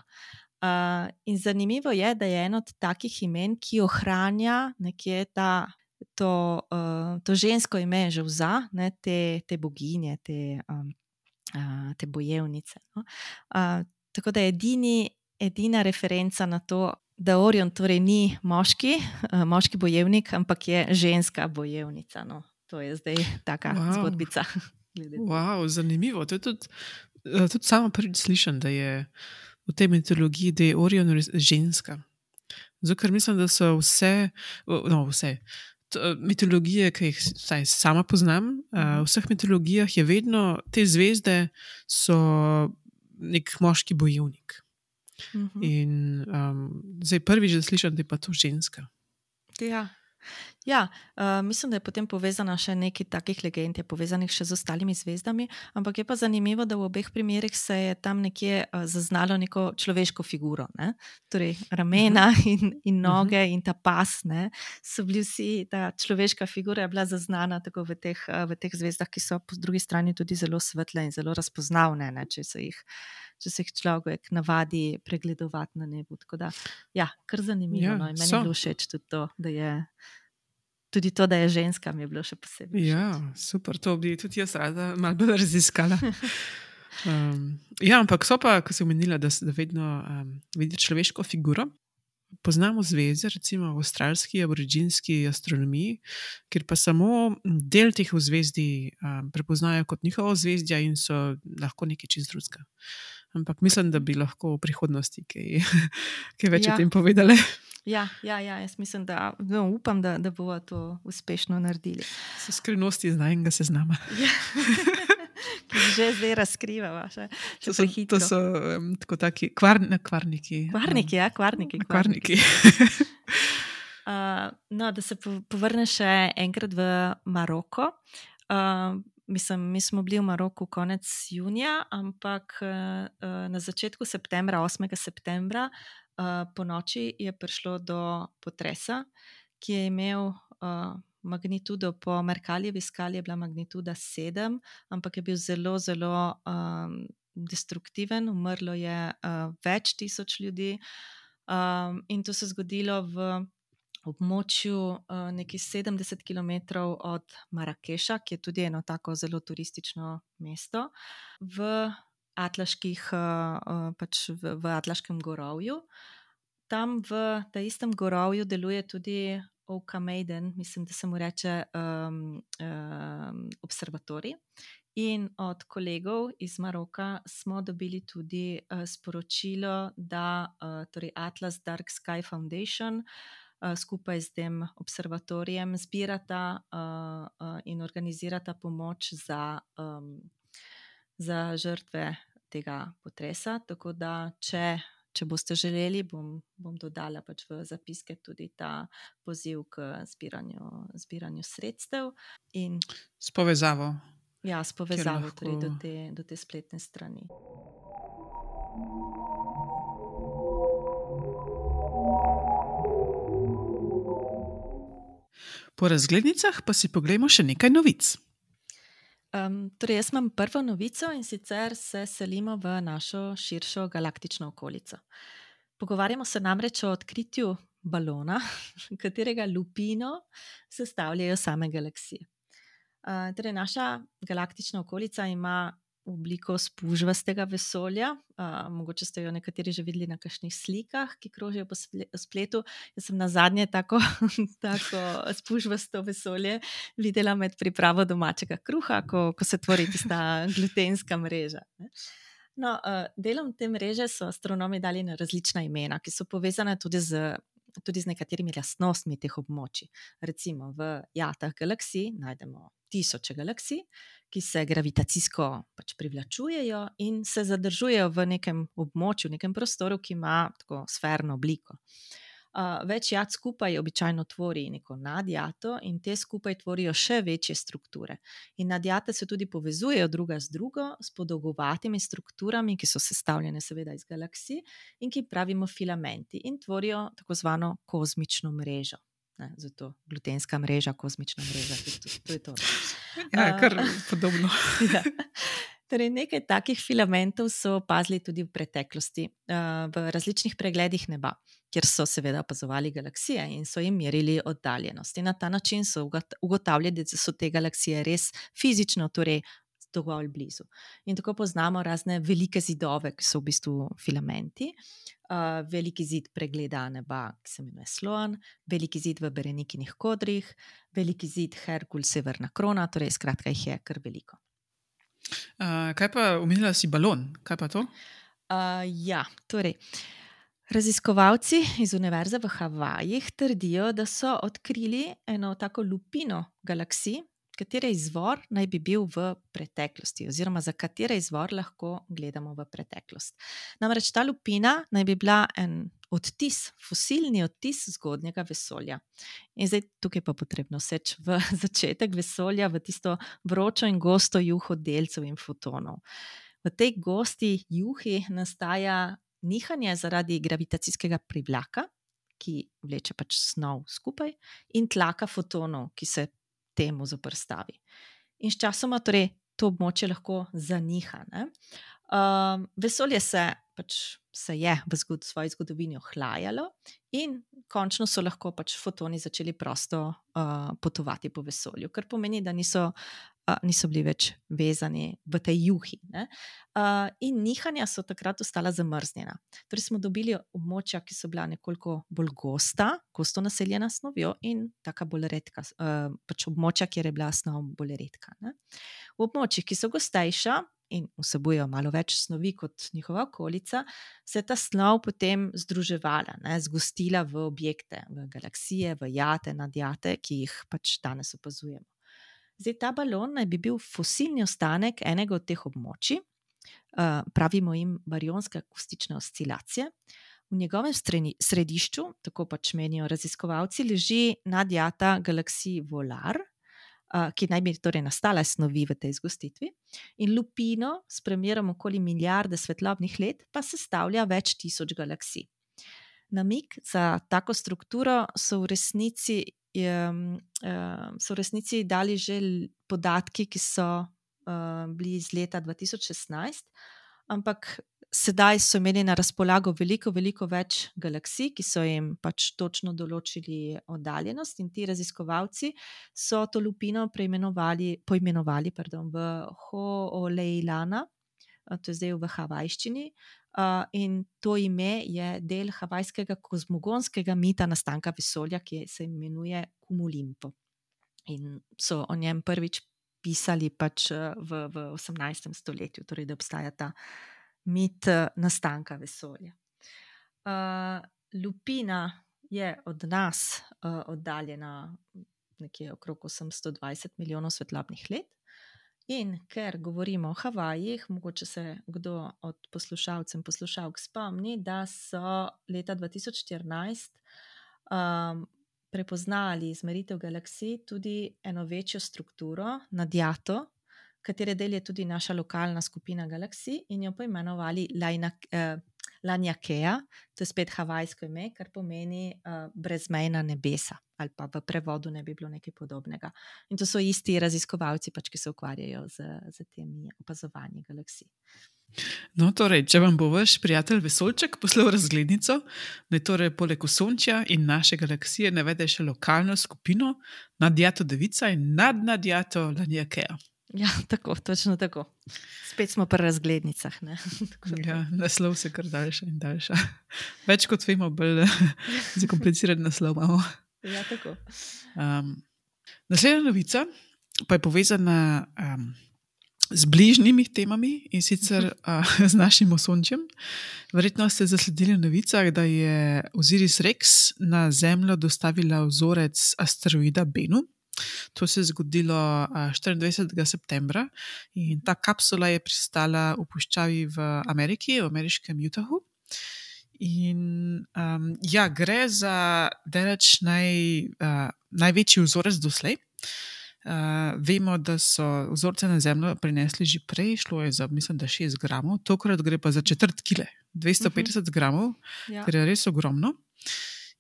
Uh, in zanimivo je, da je eno od takih imen, ki ohranja nekje ta, to, uh, to žensko ime Jauza, ne, te, te boginje, te, um, uh, te bojevnice. No. Uh, tako da je edini, edina referenca na to, da Orion torej ni moški, uh, moški bojevnik, ampak je ženska bojevnica. No. To je zdaj taka wow. zgodbica. Wow, zanimivo. To je tudi, tudi sama prvič slišam, da je v tej mitologiji, da je Orion ženska. Zato, ker mislim, da so vse, no vse, mitologije, ki jih saj sama poznam, v vseh mitologijah je vedno, te zvezde so nek moški bojevnik. Mhm. In um, zdaj prvič, da slišim, da je pa to ženska. Ja. Ja, uh, mislim, da je potem povezana še nekaj takih legend, je povezanih še z ostalimi zvezdami, ampak je pa zanimivo, da v obeh primerih se je tam nekje uh, zaznalo neko človeško figuro, ne? Torej ramena uh -huh. in, in noge uh -huh. in ta pas, ne? So bili vsi, ta človeška figura je bila zaznana tako v teh, uh, v teh zvezdah, ki so po drugi strani tudi zelo svetle in zelo razpoznavne, ne? Če se jih če se jih človek navadi pregledovati na nebu. Tako da, ja, kar zanimivo. Ja, no? In meni so. je bilo všeč tudi to, da je tudi to, da je ženska, mi je bilo še posebej všeč. Ja, super, to bi tudi jaz rada malo bolj raziskala. Um, ja, ampak so pa, ko si omenila, da, da vedno um, vidi človeško figuro. Poznamo zvezde, recimo v avstralski, aboriginski astronomiji, kjer pa samo del teh zvezdi um, prepoznajo kot njihovo zvezdja in so lahko nekaj čist drugega. Ampak mislim, da bi lahko v prihodnosti kaj, kaj več ja. o tem povedali. Ja, ja, ja, jaz mislim, da no, upam, da, da bomo to uspešno naredili. So skrivnosti znajnega seznama. Ja. Ki že zdaj razkrivava. Še, še to so, to so um, tako taki kvar, ne, kvarniki. Kvarniki, ja, kvarniki. Kvarniki. kvarniki. uh, no, da se povrne še enkrat v Maroko. Uh, mislim, mi smo bili v Maroku konec junija, ampak uh, na začetku septembra, osmega septembra, uh, po noči je prišlo do potresa, ki je imel uh, magnitudo po Merkaljevi skali, je bila magnituda sedem, ampak je bil zelo, zelo um, destruktiven, umrlo je uh, več tisoč ljudi um, in to se je zgodilo v območju uh, nekih sedemdeset kilometrov od Marakeša, ki je tudi eno tako zelo turistično mesto, v Atlaških, uh, uh, pač v, v Atlaškem gorovju. Tam v tem istem gorovju deluje tudi Oka Maiden, mislim, da se mu reče um, um, observatorij. In od kolegov iz Maroka smo dobili tudi uh, sporočilo, da uh, torej Atlas Dark Sky Foundation uh, skupaj s tem observatorijem zbirata uh, uh, in organizirata pomoč za, um, za žrtve tega potresa. Tako da, če Če boste želeli, bom, bom dodala pač v zapiske tudi ta poziv k zbiranju, zbiranju sredstev. In, s povezavo. Ja, s povezavo lahko... torej do, te, do te spletne strani. Po razglednicah pa si poglejmo še nekaj novic. Um, torej, jaz imam prvo novico in sicer se selimo v našo širšo galaktično okolico. Pogovarjamo se namreč o odkritju balona, katerega lupino sestavljajo same galaksije. Uh, torej, naša galaktična okolica ima obliko spužvastega vesolja. Uh, mogoče ste jo nekateri že videli na kakšnih slikah, ki krožijo po spletu. Jaz sem nazadnje tako, tako spužvasto vesolje videla med pripravo domačega kruha, ko, ko se tvori tista glutenska mreža. No, uh, delom te mreže so astronomi dali na različna imena, ki so povezane tudi z, tudi z nekaterimi lastnostmi teh območij. Recimo v jatah galaksij najdemo tisoče galaksij, ki se gravitacijsko pač privlačujejo in se zadržujejo v nekem območju, v nekem prostoru, ki ima tako sferno obliko. Uh, več jat skupaj običajno tvori neko nadjato in te skupaj tvorijo še večje strukture. In nadjate se tudi povezujejo druga z drugo s podolgovatimi strukturami, ki so sestavljene seveda iz galaksij in ki pravimo filamenti in tvorijo tako zvano kozmično mrežo. Ne, zato glutenska mreža, kozmična mreža, to, to je to. Ja, kar uh, podobno. Ja. Torej, nekaj takih filamentov so opazili tudi v preteklosti, uh, v različnih pregledih neba, kjer so seveda opazovali galaksije in so jim merili oddaljenost. In na ta način so ugotavljali, da so te galaksije res fizično, torej dovolj blizu. In tako poznamo razne velike zidove, ki so v bistvu filamenti. Uh, veliki zid pregleda neba, ki se imenuje Sloan, veliki zid v Berenikinih kodrih, veliki zid Herkul, severna krona, torej skratka jih je kar veliko. Uh, kaj pa omenila si balon? Kaj pa to? Uh, ja, torej, raziskovalci iz Univerze v Havajih trdijo, da so odkrili eno tako lupino galaksij, katere izvor naj bi bil v preteklosti, oziroma za katere izvor lahko gledamo v preteklost. Namreč ta lupina naj bi bila en odtis, fosilni odtis zgodnjega vesolja. In zdaj tukaj pa potrebno seči v začetek vesolja, v tisto vročo in gosto juho delcev in fotonov. V tej gosti juhi nastaja nihanje zaradi gravitacijskega privlaka, ki vleče pač snov skupaj, in tlaka fotonov, ki se temu zoperstavi. In sčasoma torej to območje lahko zaniha. Ne? Uh, vesolje se, pač, se je v zgod, svoji zgodovini ohlajalo in končno so lahko pač fotoni začeli prosto uh, potovati po vesolju, kar pomeni, da niso, uh, niso bili več vezani v tej juhi. Ne? Uh, in nihanja so takrat ostala zamrznjena. Torej smo dobili območja, ki so bila nekoliko bolj gosta, gosto naseljena s snovjo in taka bolj redka, uh, pač območja, kjer je bila snov bolj redka. Ne? V območjih, ki so gostejša in vsebujejo malo več snovi kot njihova okolica, se je ta snov potem združevala, ne, zgostila v objekte, v galaksije, v jate, nadjate, ki jih pač danes opazujemo. Zdaj, ta balon naj bi bil fosilni ostanek enega od teh območij, uh, pravimo jim barionske akustične oscilacije. V njegovem streni, središču, tako pač menijo raziskovalci, leži nadjata galaksiji Volar, ki naj bi torej nastala snovi v tej zgostitvi, in lupino s premerom okoli milijarde svetlobnih let pa sestavlja več tisoč galaksij. Namig za tako strukturo so v resnici, um, um, so v resnici dali že podatki, ki so um, bili iz leta dva tisoč šestnajst, ampak sedaj so imeli na razpolago veliko, veliko več galaksij, ki so jim pač točno določili oddaljenost, in ti raziskovalci so to lupino preimenovali, poimenovali pardon, v Ho'oleilana, to je zdaj v havajščini, in to ime je del havajskega kozmogonskega mita nastanka vesolja, ki se imenuje Cumulimpo. In so o njem prvič pisali pač v, v osemnajstem stoletju, torej da obstaja ta mit nastanka vesolja. Uh, lupina je od nas uh, oddaljena nekje okrog osemsto dvajset milijonov svetlobnih let, in ker govorimo o Havajih, mogoče se kdo od poslušalcev in poslušalk spomni, da so leta dva tisoč štirinajst um, prepoznali izmeritev galaksij tudi eno večjo strukturo, nadjato, katere del je tudi naša lokalna skupina galaksij, in jo poimenovali Laniakea, to je spet havajsko ime, kar pomeni uh, brezmejna nebesa, ali pa v prevodu ne bi bilo nekaj podobnega. In to so isti raziskovalci, pač, ki se ukvarjajo z, z temi opazovanji galaksij. No, torej, če vam bo vaš prijatelj vesoljček poslal razglednico, naj torej poleg Osončja in naše galaksije navede še lokalno skupino, nadjato Devica in nadnadjato Laniakea. Ja, tako, točno tako. Spet smo pri razglednicah. Ne? Ja, naslov se kar daljša in daljša. Več kot vemo, bolj zakompliciran naslov imamo. Ja, tako. Um, naslednja novica pa je povezana um, z bližnjimi temami, in sicer uh, z našim Osončjem. Verjetno ste zasledili v novicah, da je Osiris Rex na Zemljo dostavila vzorec asteroida Bennu. To se je zgodilo štiriindvajsetega septembra in ta kapsula je pristala v puščavi v Ameriki, v ameriškem Utahu. In um, ja, gre za daleč naj, uh, največji vzorec doslej. Uh, vemo, da so vzorce na Zemljo prinesli že prej, šlo je za, mislim, da šest gramov, tokrat gre pa za četrt kile, dvesto petdeset uh-huh. gramov, ja. Kar je res ogromno.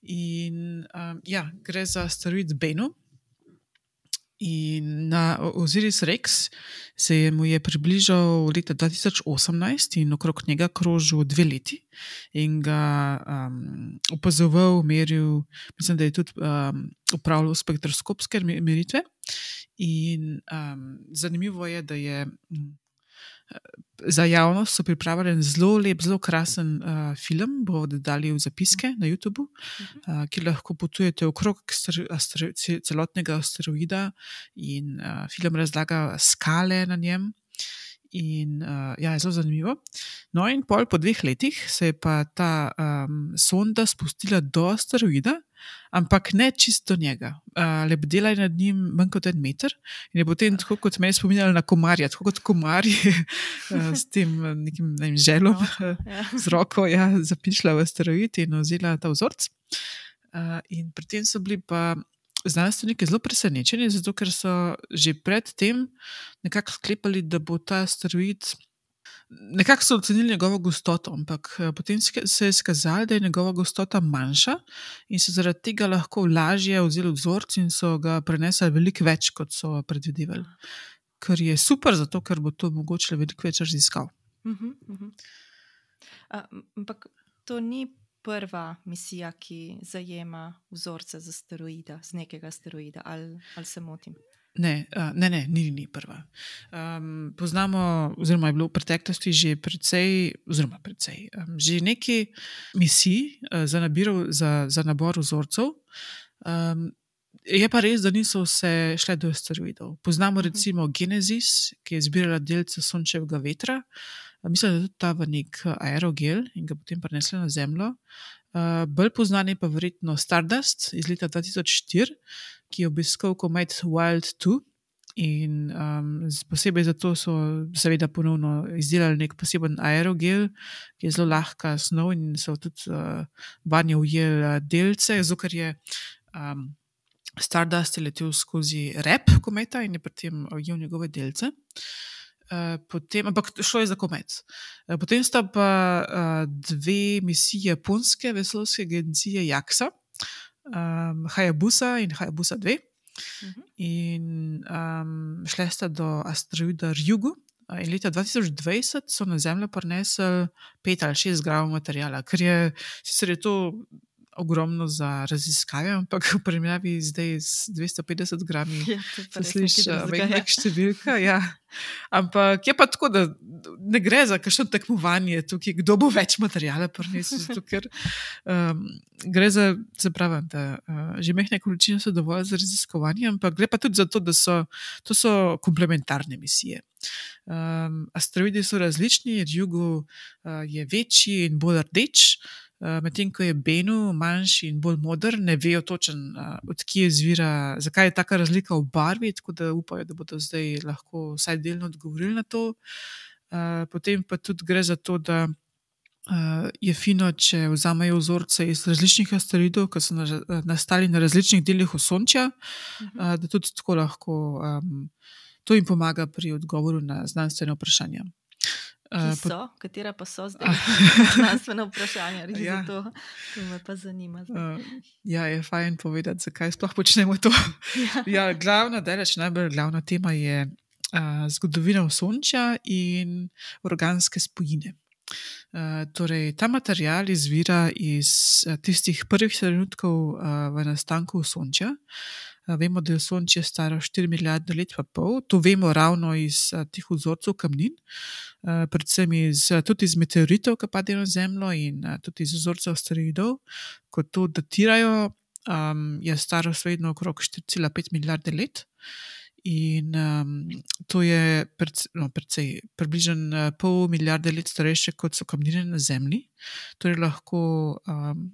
In um, ja, gre za asteroid Bennu. In na Osiris Rex se je mu je približal leta dva tisoč osemnajst in okrog njega krožil dve leti in ga um, opazoval, meril, mislim, da je tudi um, upravljal spektroskopske meritve. In um, zanimivo je, da je um, za javnost so pripravili zelo lep, zelo krasen uh, film, bo dodali v zapiske na YouTubu, uh, ki lahko potujete okrog astero- celotnega asteroida in uh, film razlaga skale na njem. In uh, ja, je zelo zanimivo. No in pol po dveh letih se je pa ta um, sonda spustila do asteroida, ampak ne čisto do njega. Uh, lebdela je nad njim manj kot en meter in je potem tako kot meni spominjala na komarja, tako kot komarji uh, s tem nekim ne vem, želom, Roko, ja. z roko ja, zapišla v asteroid in vzela ta vzorc. Uh, in pri tem so bili pa znanstveniki zelo presenečeni, zato ker so že pred tem nekako sklepali, da bo ta asteroid, nekako so ocenili njegovo gostoto, ampak potem se je skazalo, da je njegova gostota manjša in so zaradi tega lahko lažje vzeli vzorc in so ga prenesli veliko več, kot so predvidevali. Kar je super, zato ker bo to mogoče veliko več raziskav. Uh-huh, uh-huh. A, ampak to ni prva misija, ki zajema vzorce z asteroida, z nekega asteroida, ali, ali se motim? Ne, ne, ne, ni, ni prva. Um, poznamo, oziroma je bilo v preteklosti že precej, oziroma precej, um, že nekaj misij uh, za, nabirov, za, za nabor vzorcev. Um, je pa res, da niso vse šle do asteroidov. Poznamo recimo Genesis, ki je zbirala delce sončevega vetra. Mislim, da je tudi ta v nek aerogel in ga potem prenesla na Zemljo. Uh, bolj poznan je pa verjetno Stardust iz leta dva tisoč štiri, ki je obiskal komet Wild dva in um, posebej zato so seveda ponovno izdelali nek poseben aerogel, ki je zelo lahka snov in so tudi uh, vanje ujeli delce, zato ker je um, Stardust je letel skozi rep kometa in je pri tem ujel njegove delce. Uh, potem, ampak šlo je za komet. Uh, potem sta pa uh, dve misiji japonske vesoljske agencije JAXA, um, Hayabusa in Hayabusa dve. Uh-huh. In um, šle sta do asteroida Ryugu. Uh, in leta dva tisoč dvajset so na Zemljo prinesli pet ali šest gramov materijala, ker je, sicer je to ogromno za raziskave, ampak v primerjavi zdaj z dvesto petdeset grami Ja, se sliši velik številka. Ja. Ampak je pa tako, da ne gre za kakšno tekmovanje tukaj, kdo bo več materijala prinesel, zato ker um, gre za, za pravim, da uh, že mehne količine so dovolj za raziskovanje, ampak gre pa tudi za to, da so, to so komplementarne misije. Um, asteroidi so različni, Ryugu uh, je večji in bolj rdeč, Uh, medtem ko je Bennu manjši in bolj moder, ne vejo točen, uh, od kje izvira, zakaj je taka razlika v barvi, tako da upajo, da bodo zdaj lahko vsaj delno odgovorili na to. Uh, potem pa tudi gre za to, da uh, je fino, če vzamejo vzorce iz različnih asteroidov, ki so na, nastali na različnih delih Osončja, uh, da tudi tako lahko um, to jim pomaga pri odgovoru na znanstvene vprašanja. Ki so, uh, katera pa so zdaj znanstvena vprašanja, res ja. Zato to me pa zanima. Uh, ja, je fajn povedati, zakaj sploh počnemo to. Ja, ja glavna, daleč najbolj glavna tema je uh, zgodovina Osončja in organske spojine. Uh, torej, ta material izvira iz uh, tistih prvih trenutkov uh, v nastanku Osončja. Uh, vemo, da je Osončje staro štiri milijarde let pa pol. To vemo ravno iz uh, teh vzorcev kamnin, uh, predvsem iz, uh, tudi iz meteoritov, ki padejo na Zemljo in uh, tudi iz vzorcev asteroidov. Ko to datirajo, um, je staro svedno okrog štiri cela pet milijarde let. In um, to je predvsej, no, predvsej, približno uh, pol milijarde let starejše, kot so kamnine na Zemlji. Torej lahko um,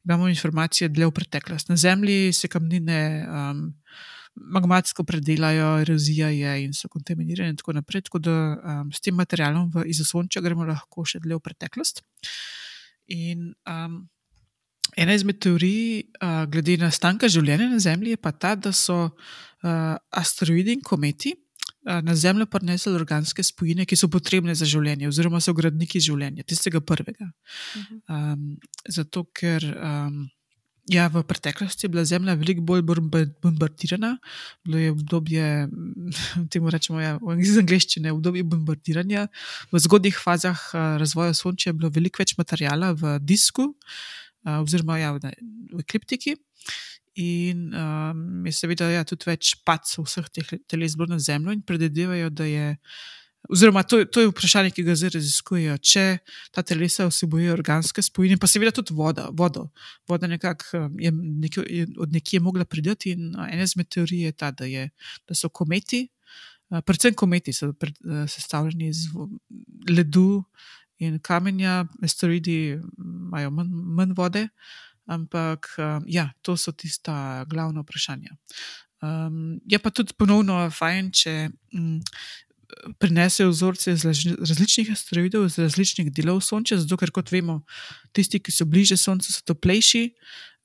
imamo informacije dlje v preteklost. Na Zemlji se kamnine um, magmatsko predelajo, erozija je in so kontaminirane in tako naprej, tako da um, s tem materialom v, iz Osončja gremo lahko še dlje v preteklost. In um, ena izmed teorij uh, glede nastanka življenja na Zemlji je pa ta, da so uh, asteroidi in kometi uh, na Zemljo prinesli organske spojine, ki so potrebne za življenje, oziroma so gradniki življenja, tistega prvega. Uh-huh. Um, zato, ker um, ja, v preteklosti je bila Zemlja veliko bolj bombardirana, bilo je obdobje, temu rečemo ja, iz angleščine, obdobje bombardiranja. V zgodnjih fazah uh, razvoja Osončja je bilo veliko več materijala v disku, Uh, oziroma ja, v, v ekliptiki in um, je seveda ja, tudi več pac vseh teh teles bilo na Zemljo in predvidevajo, da je, oziroma to, to je vprašanje, ki ga zdaj raziskujejo, če ta telesa vsebujejo organske spojine, pa seveda tudi voda, vodo. Voda nekako je, nekje, je od nekje mogla priti in uh, ena izmed teorij je ta, da, je, da so kometi, uh, predvsem kometi so pred, uh, sestavljeni iz ledu In kamenja, asteroidi imajo manj, manj vode, ampak um, ja, to so tista glavna vprašanja. Um, je pa tudi ponovno fajn, če um, prinesejo vzorce iz različnih asteroidov, iz različnih delov Sonča, zato ker, kot vemo, tisti, ki so bliže Soncu, so toplejši,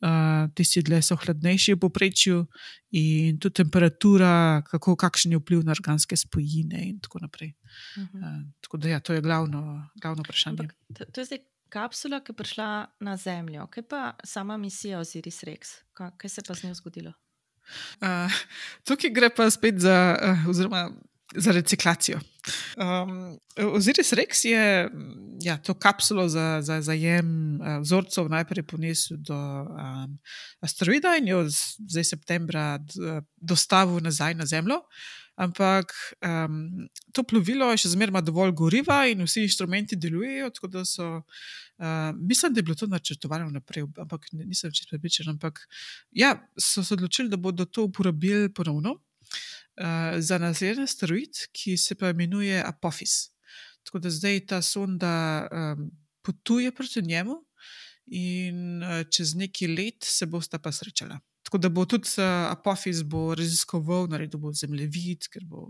uh, tisti dlje so hladnejši v povprečju in tudi temperatura, kako, kakšen je vpliv na organske spojine in tako naprej. Uh-huh. Uh, tako da ja, to je glavno, glavno vprašanje. Ampak, to, to je zdaj kapsula, ki je prišla na Zemljo. Kaj pa sama misija Osiris-Rex? Kaj, kaj se pa z njo zgodilo? Uh, tukaj gre pa spet za, uh, oziroma za reciklacijo. Um, Osiris-Rex je ja, to kapsulo za, za zajem uh, vzorcev najprej ponesel do um, asteroida in jo zdaj septembra d, dostavil nazaj na Zemljo. Ampak um, to plovilo še zmeraj ima dovolj goriva in vsi inštrumenti delujejo, tako da so, uh, mislim, da je bilo to načrtovano naprej, ampak nisem čisto prepričan, ampak ja, so se odločili, da bodo to uporabili ponovno uh, za naslednji asteroid, ki se pa imenuje Apophis. Tako da zdaj ta sonda um, potuje proti njemu in uh, čez nekaj let se bosta pa srečala. Tako da bo tudi uh, Apophis bo raziskoval, naredil bo zemljevid, ker bo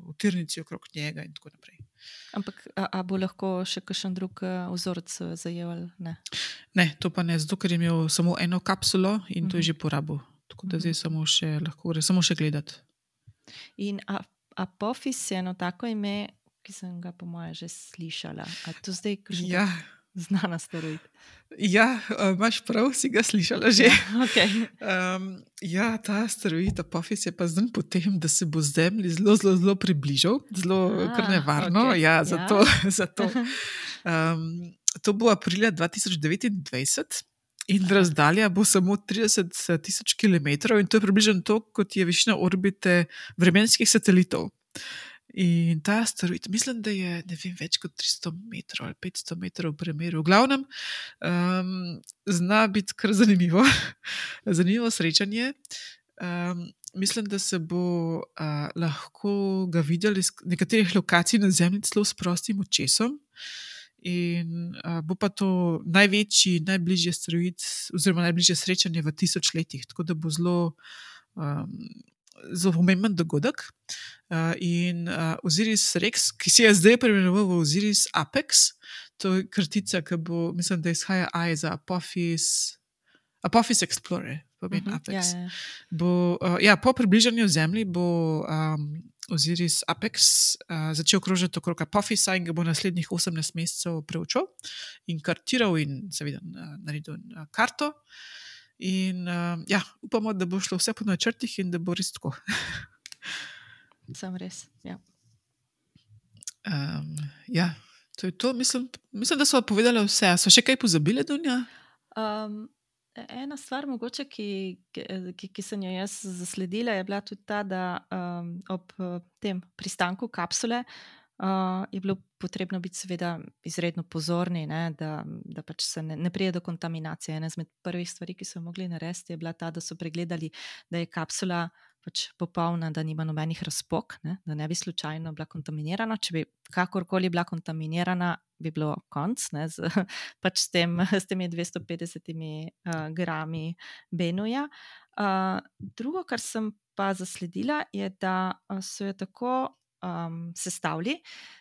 v tirnici okrog njega in tako naprej. Ampak a, a bo lahko še kakšen drug uh, vzorec zajel? Ne? Ne, to pa ne, zato ker je imel samo eno kapsulo in uh-huh. to je že porabil. Tako da zdaj uh-huh. samo še lahko gre, samo še gledati. In a, Apophis je eno tako ime, ki sem ga po moje že slišala. A to zdaj kakšen Ja. znan asteroid? Ja, imaš prav, si ga slišala že. Ja, okay. um, ja, ta asteroid Apophis je pa znan potem, da se bo Zemlji zelo, zelo, zelo približal, zelo ah, kar nevarno. Okay. Ja, zato, ja. zato. Um, to bo aprila dva tisoč devetindvajset in razdalja bo samo trideset tisoč kilometrov in to je približno to, kot je višina orbite vremenskih satelitov. In ta asteroid, mislim, da je ne vem, več kot tristo metrov ali petsto metrov v premeru. V glavnem, um, zna biti kar zanimivo, zanimivo srečanje. Um, mislim, da se bo uh, lahko ga videli z nekaterih lokacij na Zemlji celo s prostim očesom. In uh, bo pa to največji, najbližji asteroid oziroma najbližje srečanje v tisoč letih, tako da bo zelo um, zelo pomemben dogodek. Uh, in uh, Osiris-Rex, ki se je zdaj preimenoval v Osiris-Apex, to je kratica, ki bo, mislim, da izhaja A za Apophis, Apophis Explorer, pomeni uh-huh, Apex. Ja, ja. Bo, uh, ja, po približanju Zemlji bo um, Osiris-Apex uh, začel krožiti okrog Apophisa in ga bo naslednjih osemnajst mesecev preučil in kartiral in seveda uh, naredil uh, karto. In uh, ja, upamo, da bo šlo vse po načrtih in da bo res tako. Sam res, ja. Um, ja, to je to. Mislim, mislim, da so povedali vse. So še kaj pozabile, Dunja? Um, ena stvar, mogoče, ki, ki, ki sem jo jaz zasledila, je bila tudi ta, da um, ob tem pristanku kapsule uh, je bilo potrebno biti seveda izredno pozorni, ne, da, da pač se ne, ne prije do kontaminacije. Ena izmed prvih stvari, ki so mogli narediti, je bila ta, da so pregledali, da je kapsula pač popolna, da nima nobenih razpok, ne, da ne bi slučajno bila kontaminirana. Če bi kakorkoli bila kontaminirana, bi bilo konc, ne, z, pač s, tem, s temi dvesto petdeset uh, grami benuja. Uh, drugo, kar sem pa zasledila, je, da so jo tako um, sestavili,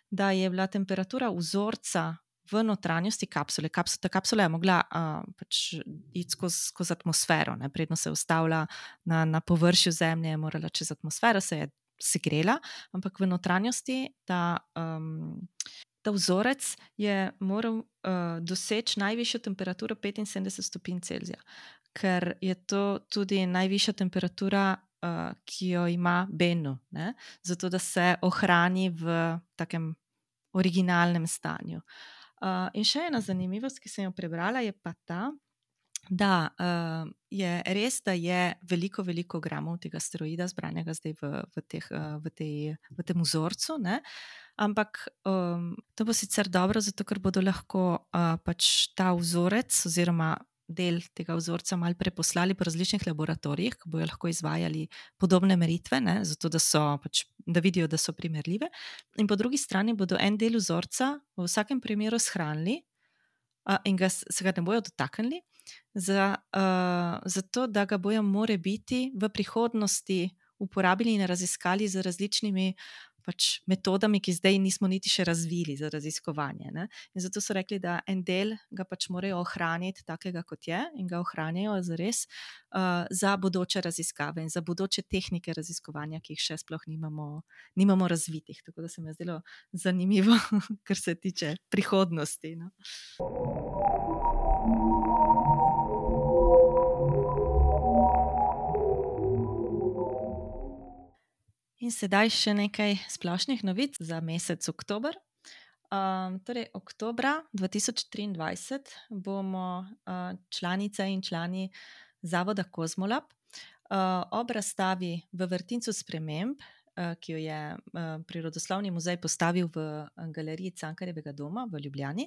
da je bila temperatura vzorca v notranjosti kapsule. Kapsula, ta kapsula je mogla uh, pač iti skozi, skozi atmosfero, ne? Predno se je ustavila na, na površju Zemlje, je morala čez atmosfero, se je segrela, ampak v notranjosti ta, um, ta vzorec je moral uh, doseči najvišjo temperaturo petinsedemdeset stopinj Celzija, ker je to tudi najvišja temperatura, uh, ki jo ima Bennu, ne? Zato da se ohrani v takem originalnem stanju. Uh, in še ena zanimivost, ki sem jo prebrala, je pa ta, da uh, je res, da je veliko, veliko gramov tega asteroida zbranega zdaj v, v, teh, uh, v, tej, v tem vzorcu, ne? Ampak um, to bo sicer dobro, zato ker bodo lahko uh, pač ta vzorec oziroma del tega vzorca malo preposlali po različnih laboratorijih, ki bojo lahko izvajali podobne meritve, ne, zato da, so, pač, da vidijo, da so primerljive. In po drugi strani bodo en del vzorca v vsakem primeru shranili uh, in ga, se ga ne bojo dotaknili, za, uh, zato da ga bojo more biti v prihodnosti uporabili in raziskali z različnimi pač metodami, ki zdaj nismo niti še razvili za raziskovanje. Ne? In zato so rekli, da en del ga pač morajo ohraniti takega, kot je, in ga ohranjajo zares uh, za bodoče raziskave in za bodoče tehnike raziskovanja, ki jih še sploh nimamo, nimamo razvitih. Tako da se mi je zdelo zanimivo, kar se tiče prihodnosti. No? In sedaj še nekaj splošnih novic za mesec oktober. Um, torej, oktobra dva tisoč triindvajset bomo uh, članice in člani Zavoda Kozmolab uh, ob razstavi v Vrtincu sprememb, uh, ki jo je uh, Prirodoslovni muzej postavil v galeriji Cankarjevega doma v Ljubljani,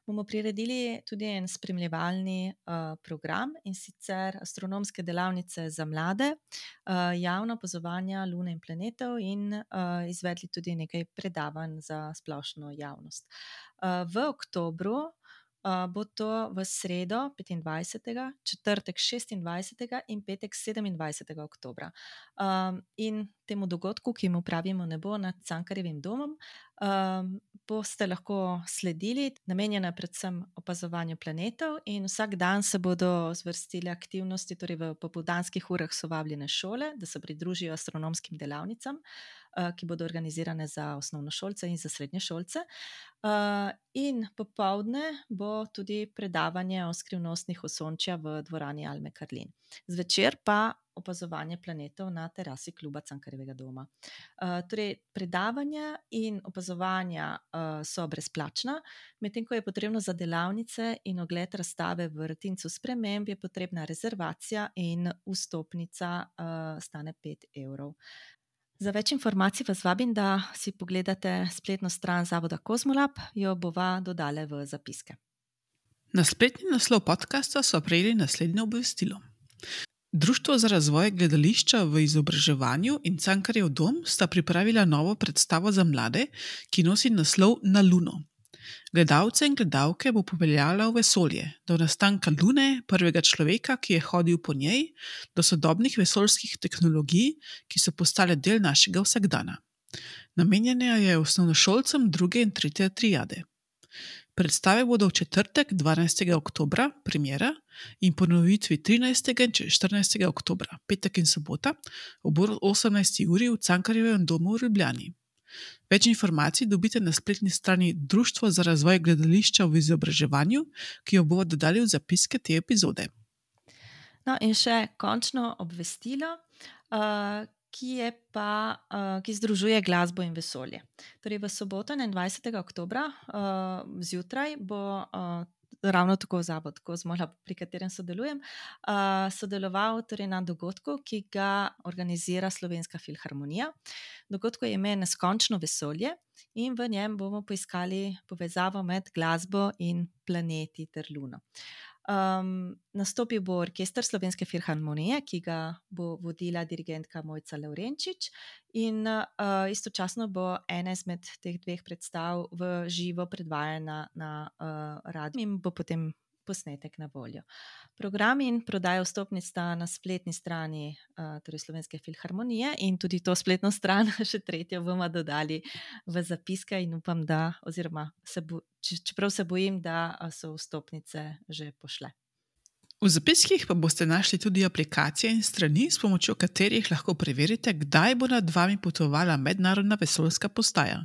bomo priredili tudi en spremljevalni uh, program, in sicer astronomske delavnice za mlade, uh, javna opazovanja Lune in planetov in uh, izvedli tudi nekaj predavanj za splošno javnost. Uh, v oktobru uh, bo to v sredo petindvajsetega, četrtek šestindvajsetega in petek sedemindvajsetega oktobra. Um, in temu dogodku, ki mu pravimo Nebo nad Cankarjevim domom, um, boste lahko sledili, namenjena predvsem opazovanju planetov, in vsak dan se bodo zvrstile aktivnosti, torej v popoldanskih urah so vabljene šole, da se pridružijo astronomskim delavnicam, uh, ki bodo organizirane za osnovnošolce in za srednješolce. Uh, in popoldne bo tudi predavanje o skrivnostnih osončja v dvorani Alme Karlin. Zvečer pa opazovanje planetov na terasi kluba Cankarjevega doma. Uh, torej, predavanja in opazovanja uh, so brezplačna, medtem ko je potrebno za delavnice in ogled razstave v Vrtincu sprememb je potrebna rezervacija in vstopnica uh, stane pet evrov. Za več informacij vas vabim, da si pogledate spletno stran Zavoda Kozmolab, jo bova dodale v zapiske. Na spletni naslov podcasta so prejeli naslednje obvestilo. Društvo za razvoj gledališča v izobraževanju in Cankarjev dom sta pripravila novo predstavo za mlade, ki nosi naslov Na Luno. Gledalce in gledalke bo popeljala v vesolje, do nastanka Lune, prvega človeka, ki je hodil po njej, do sodobnih vesoljskih tehnologij, ki so postale del našega vsakdana. Namenjena je osnovnošolcem druge in tretje triade. Predstave bodo v četrtek, dvanajstega oktobra, premiera, in ponovitvi trinajstega in štirinajstega oktobra, petek in sobota, ob osemnajsti uri v Cankarjevem domu v Ljubljani. Več informacij dobite na spletni strani Društvo za razvoj gledališča v izobraževanju, ki jo bomo dodali v zapiske te epizode. No, in še končno obvestilo, uh, ki je pa, uh, ki združuje glasbo in vesolje. Torej, v soboto, enaindvajsetega oktobra, uh, zjutraj bo uh, ravno tako Zavod Kozmolab, pri katerem sodelujem, uh, sodeloval torej na dogodku, ki ga organizira Slovenska filharmonija. Dogodku je ime Neskončno vesolje in v njem bomo poiskali povezavo med glasbo in planeti ter Luno. Um, nastopil bo orkester Slovenske filharmonije, ki ga bo vodila dirigentka Mojca Lavrenčič, in uh, istočasno bo ena izmed teh dveh predstav v živo predvajana na uh, radiju in bo potem posnetek na voljo. Program in prodaja vstopnic sta na spletni strani uh, torej Slovenske filharmonije, in tudi to spletno stran, še tretjo, bomo dodali v zapiske in upam, da, oziroma se bo, čeprav se bojim, da so vstopnice že pošle. V zapiskih pa boste našli tudi aplikacije in strani, s pomočjo katerih lahko preverite, kdaj bo nad vami potovala mednarodna vesoljska postaja.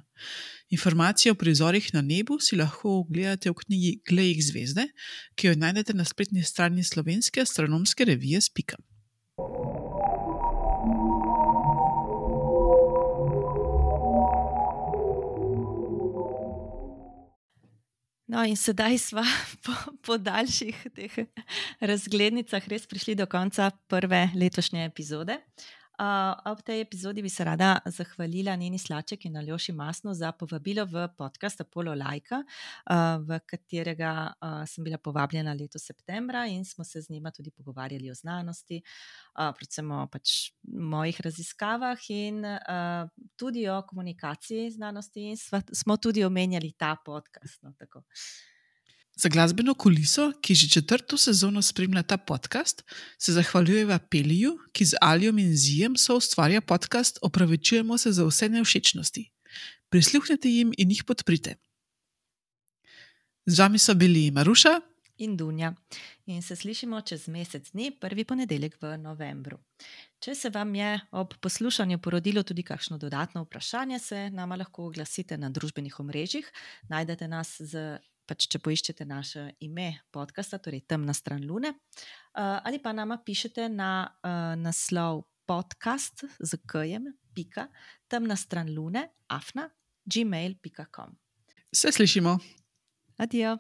Informacije o prizorih na nebu si lahko ogledate v knjigi Glej jih zvezde, ki jo najdete na spletni strani Slovenske astronomske revije Spika. No, in sedaj sva po, po daljših teh razglednicah res prišli do konca prve letošnje epizode. Uh, ob tej epizodi bi se rada zahvalila Neni Slaček in Aljoši Masnu za povabilo v podcast Apollo Lajka, uh, v katerega uh, sem bila povabljena letos septembra in smo se z njima tudi pogovarjali o znanosti, uh, predvsem o pač mojih raziskavah in uh, tudi o komunikaciji znanosti in sva, smo tudi omenjali ta podcast. No, tako. Za glasbeno kuliso, ki že četrto sezono spremlja ta podcast, se zahvaljujeva Peliju, ki z Alijom in Zijem soustvarja podcast. Opravičujemo se za vse nevšečnosti. Prisluhnite jim in jih podprite. Z vami so bili Maruša in Dunja. In se slišimo čez mesec dni, prvi ponedeljek v novembru. Če se vam je ob poslušanju porodilo tudi kakšno dodatno vprašanje, se nama lahko oglasite na družbenih omrežjih. Najdete nas z Pač, če poiščete naše ime podcasta, torej Temna stran Lune, uh, ali pa nama pišete na uh, naslov podcast z k-jem, pika, temna stran lune, afna, gmail pika com. Se slišimo. Adijo.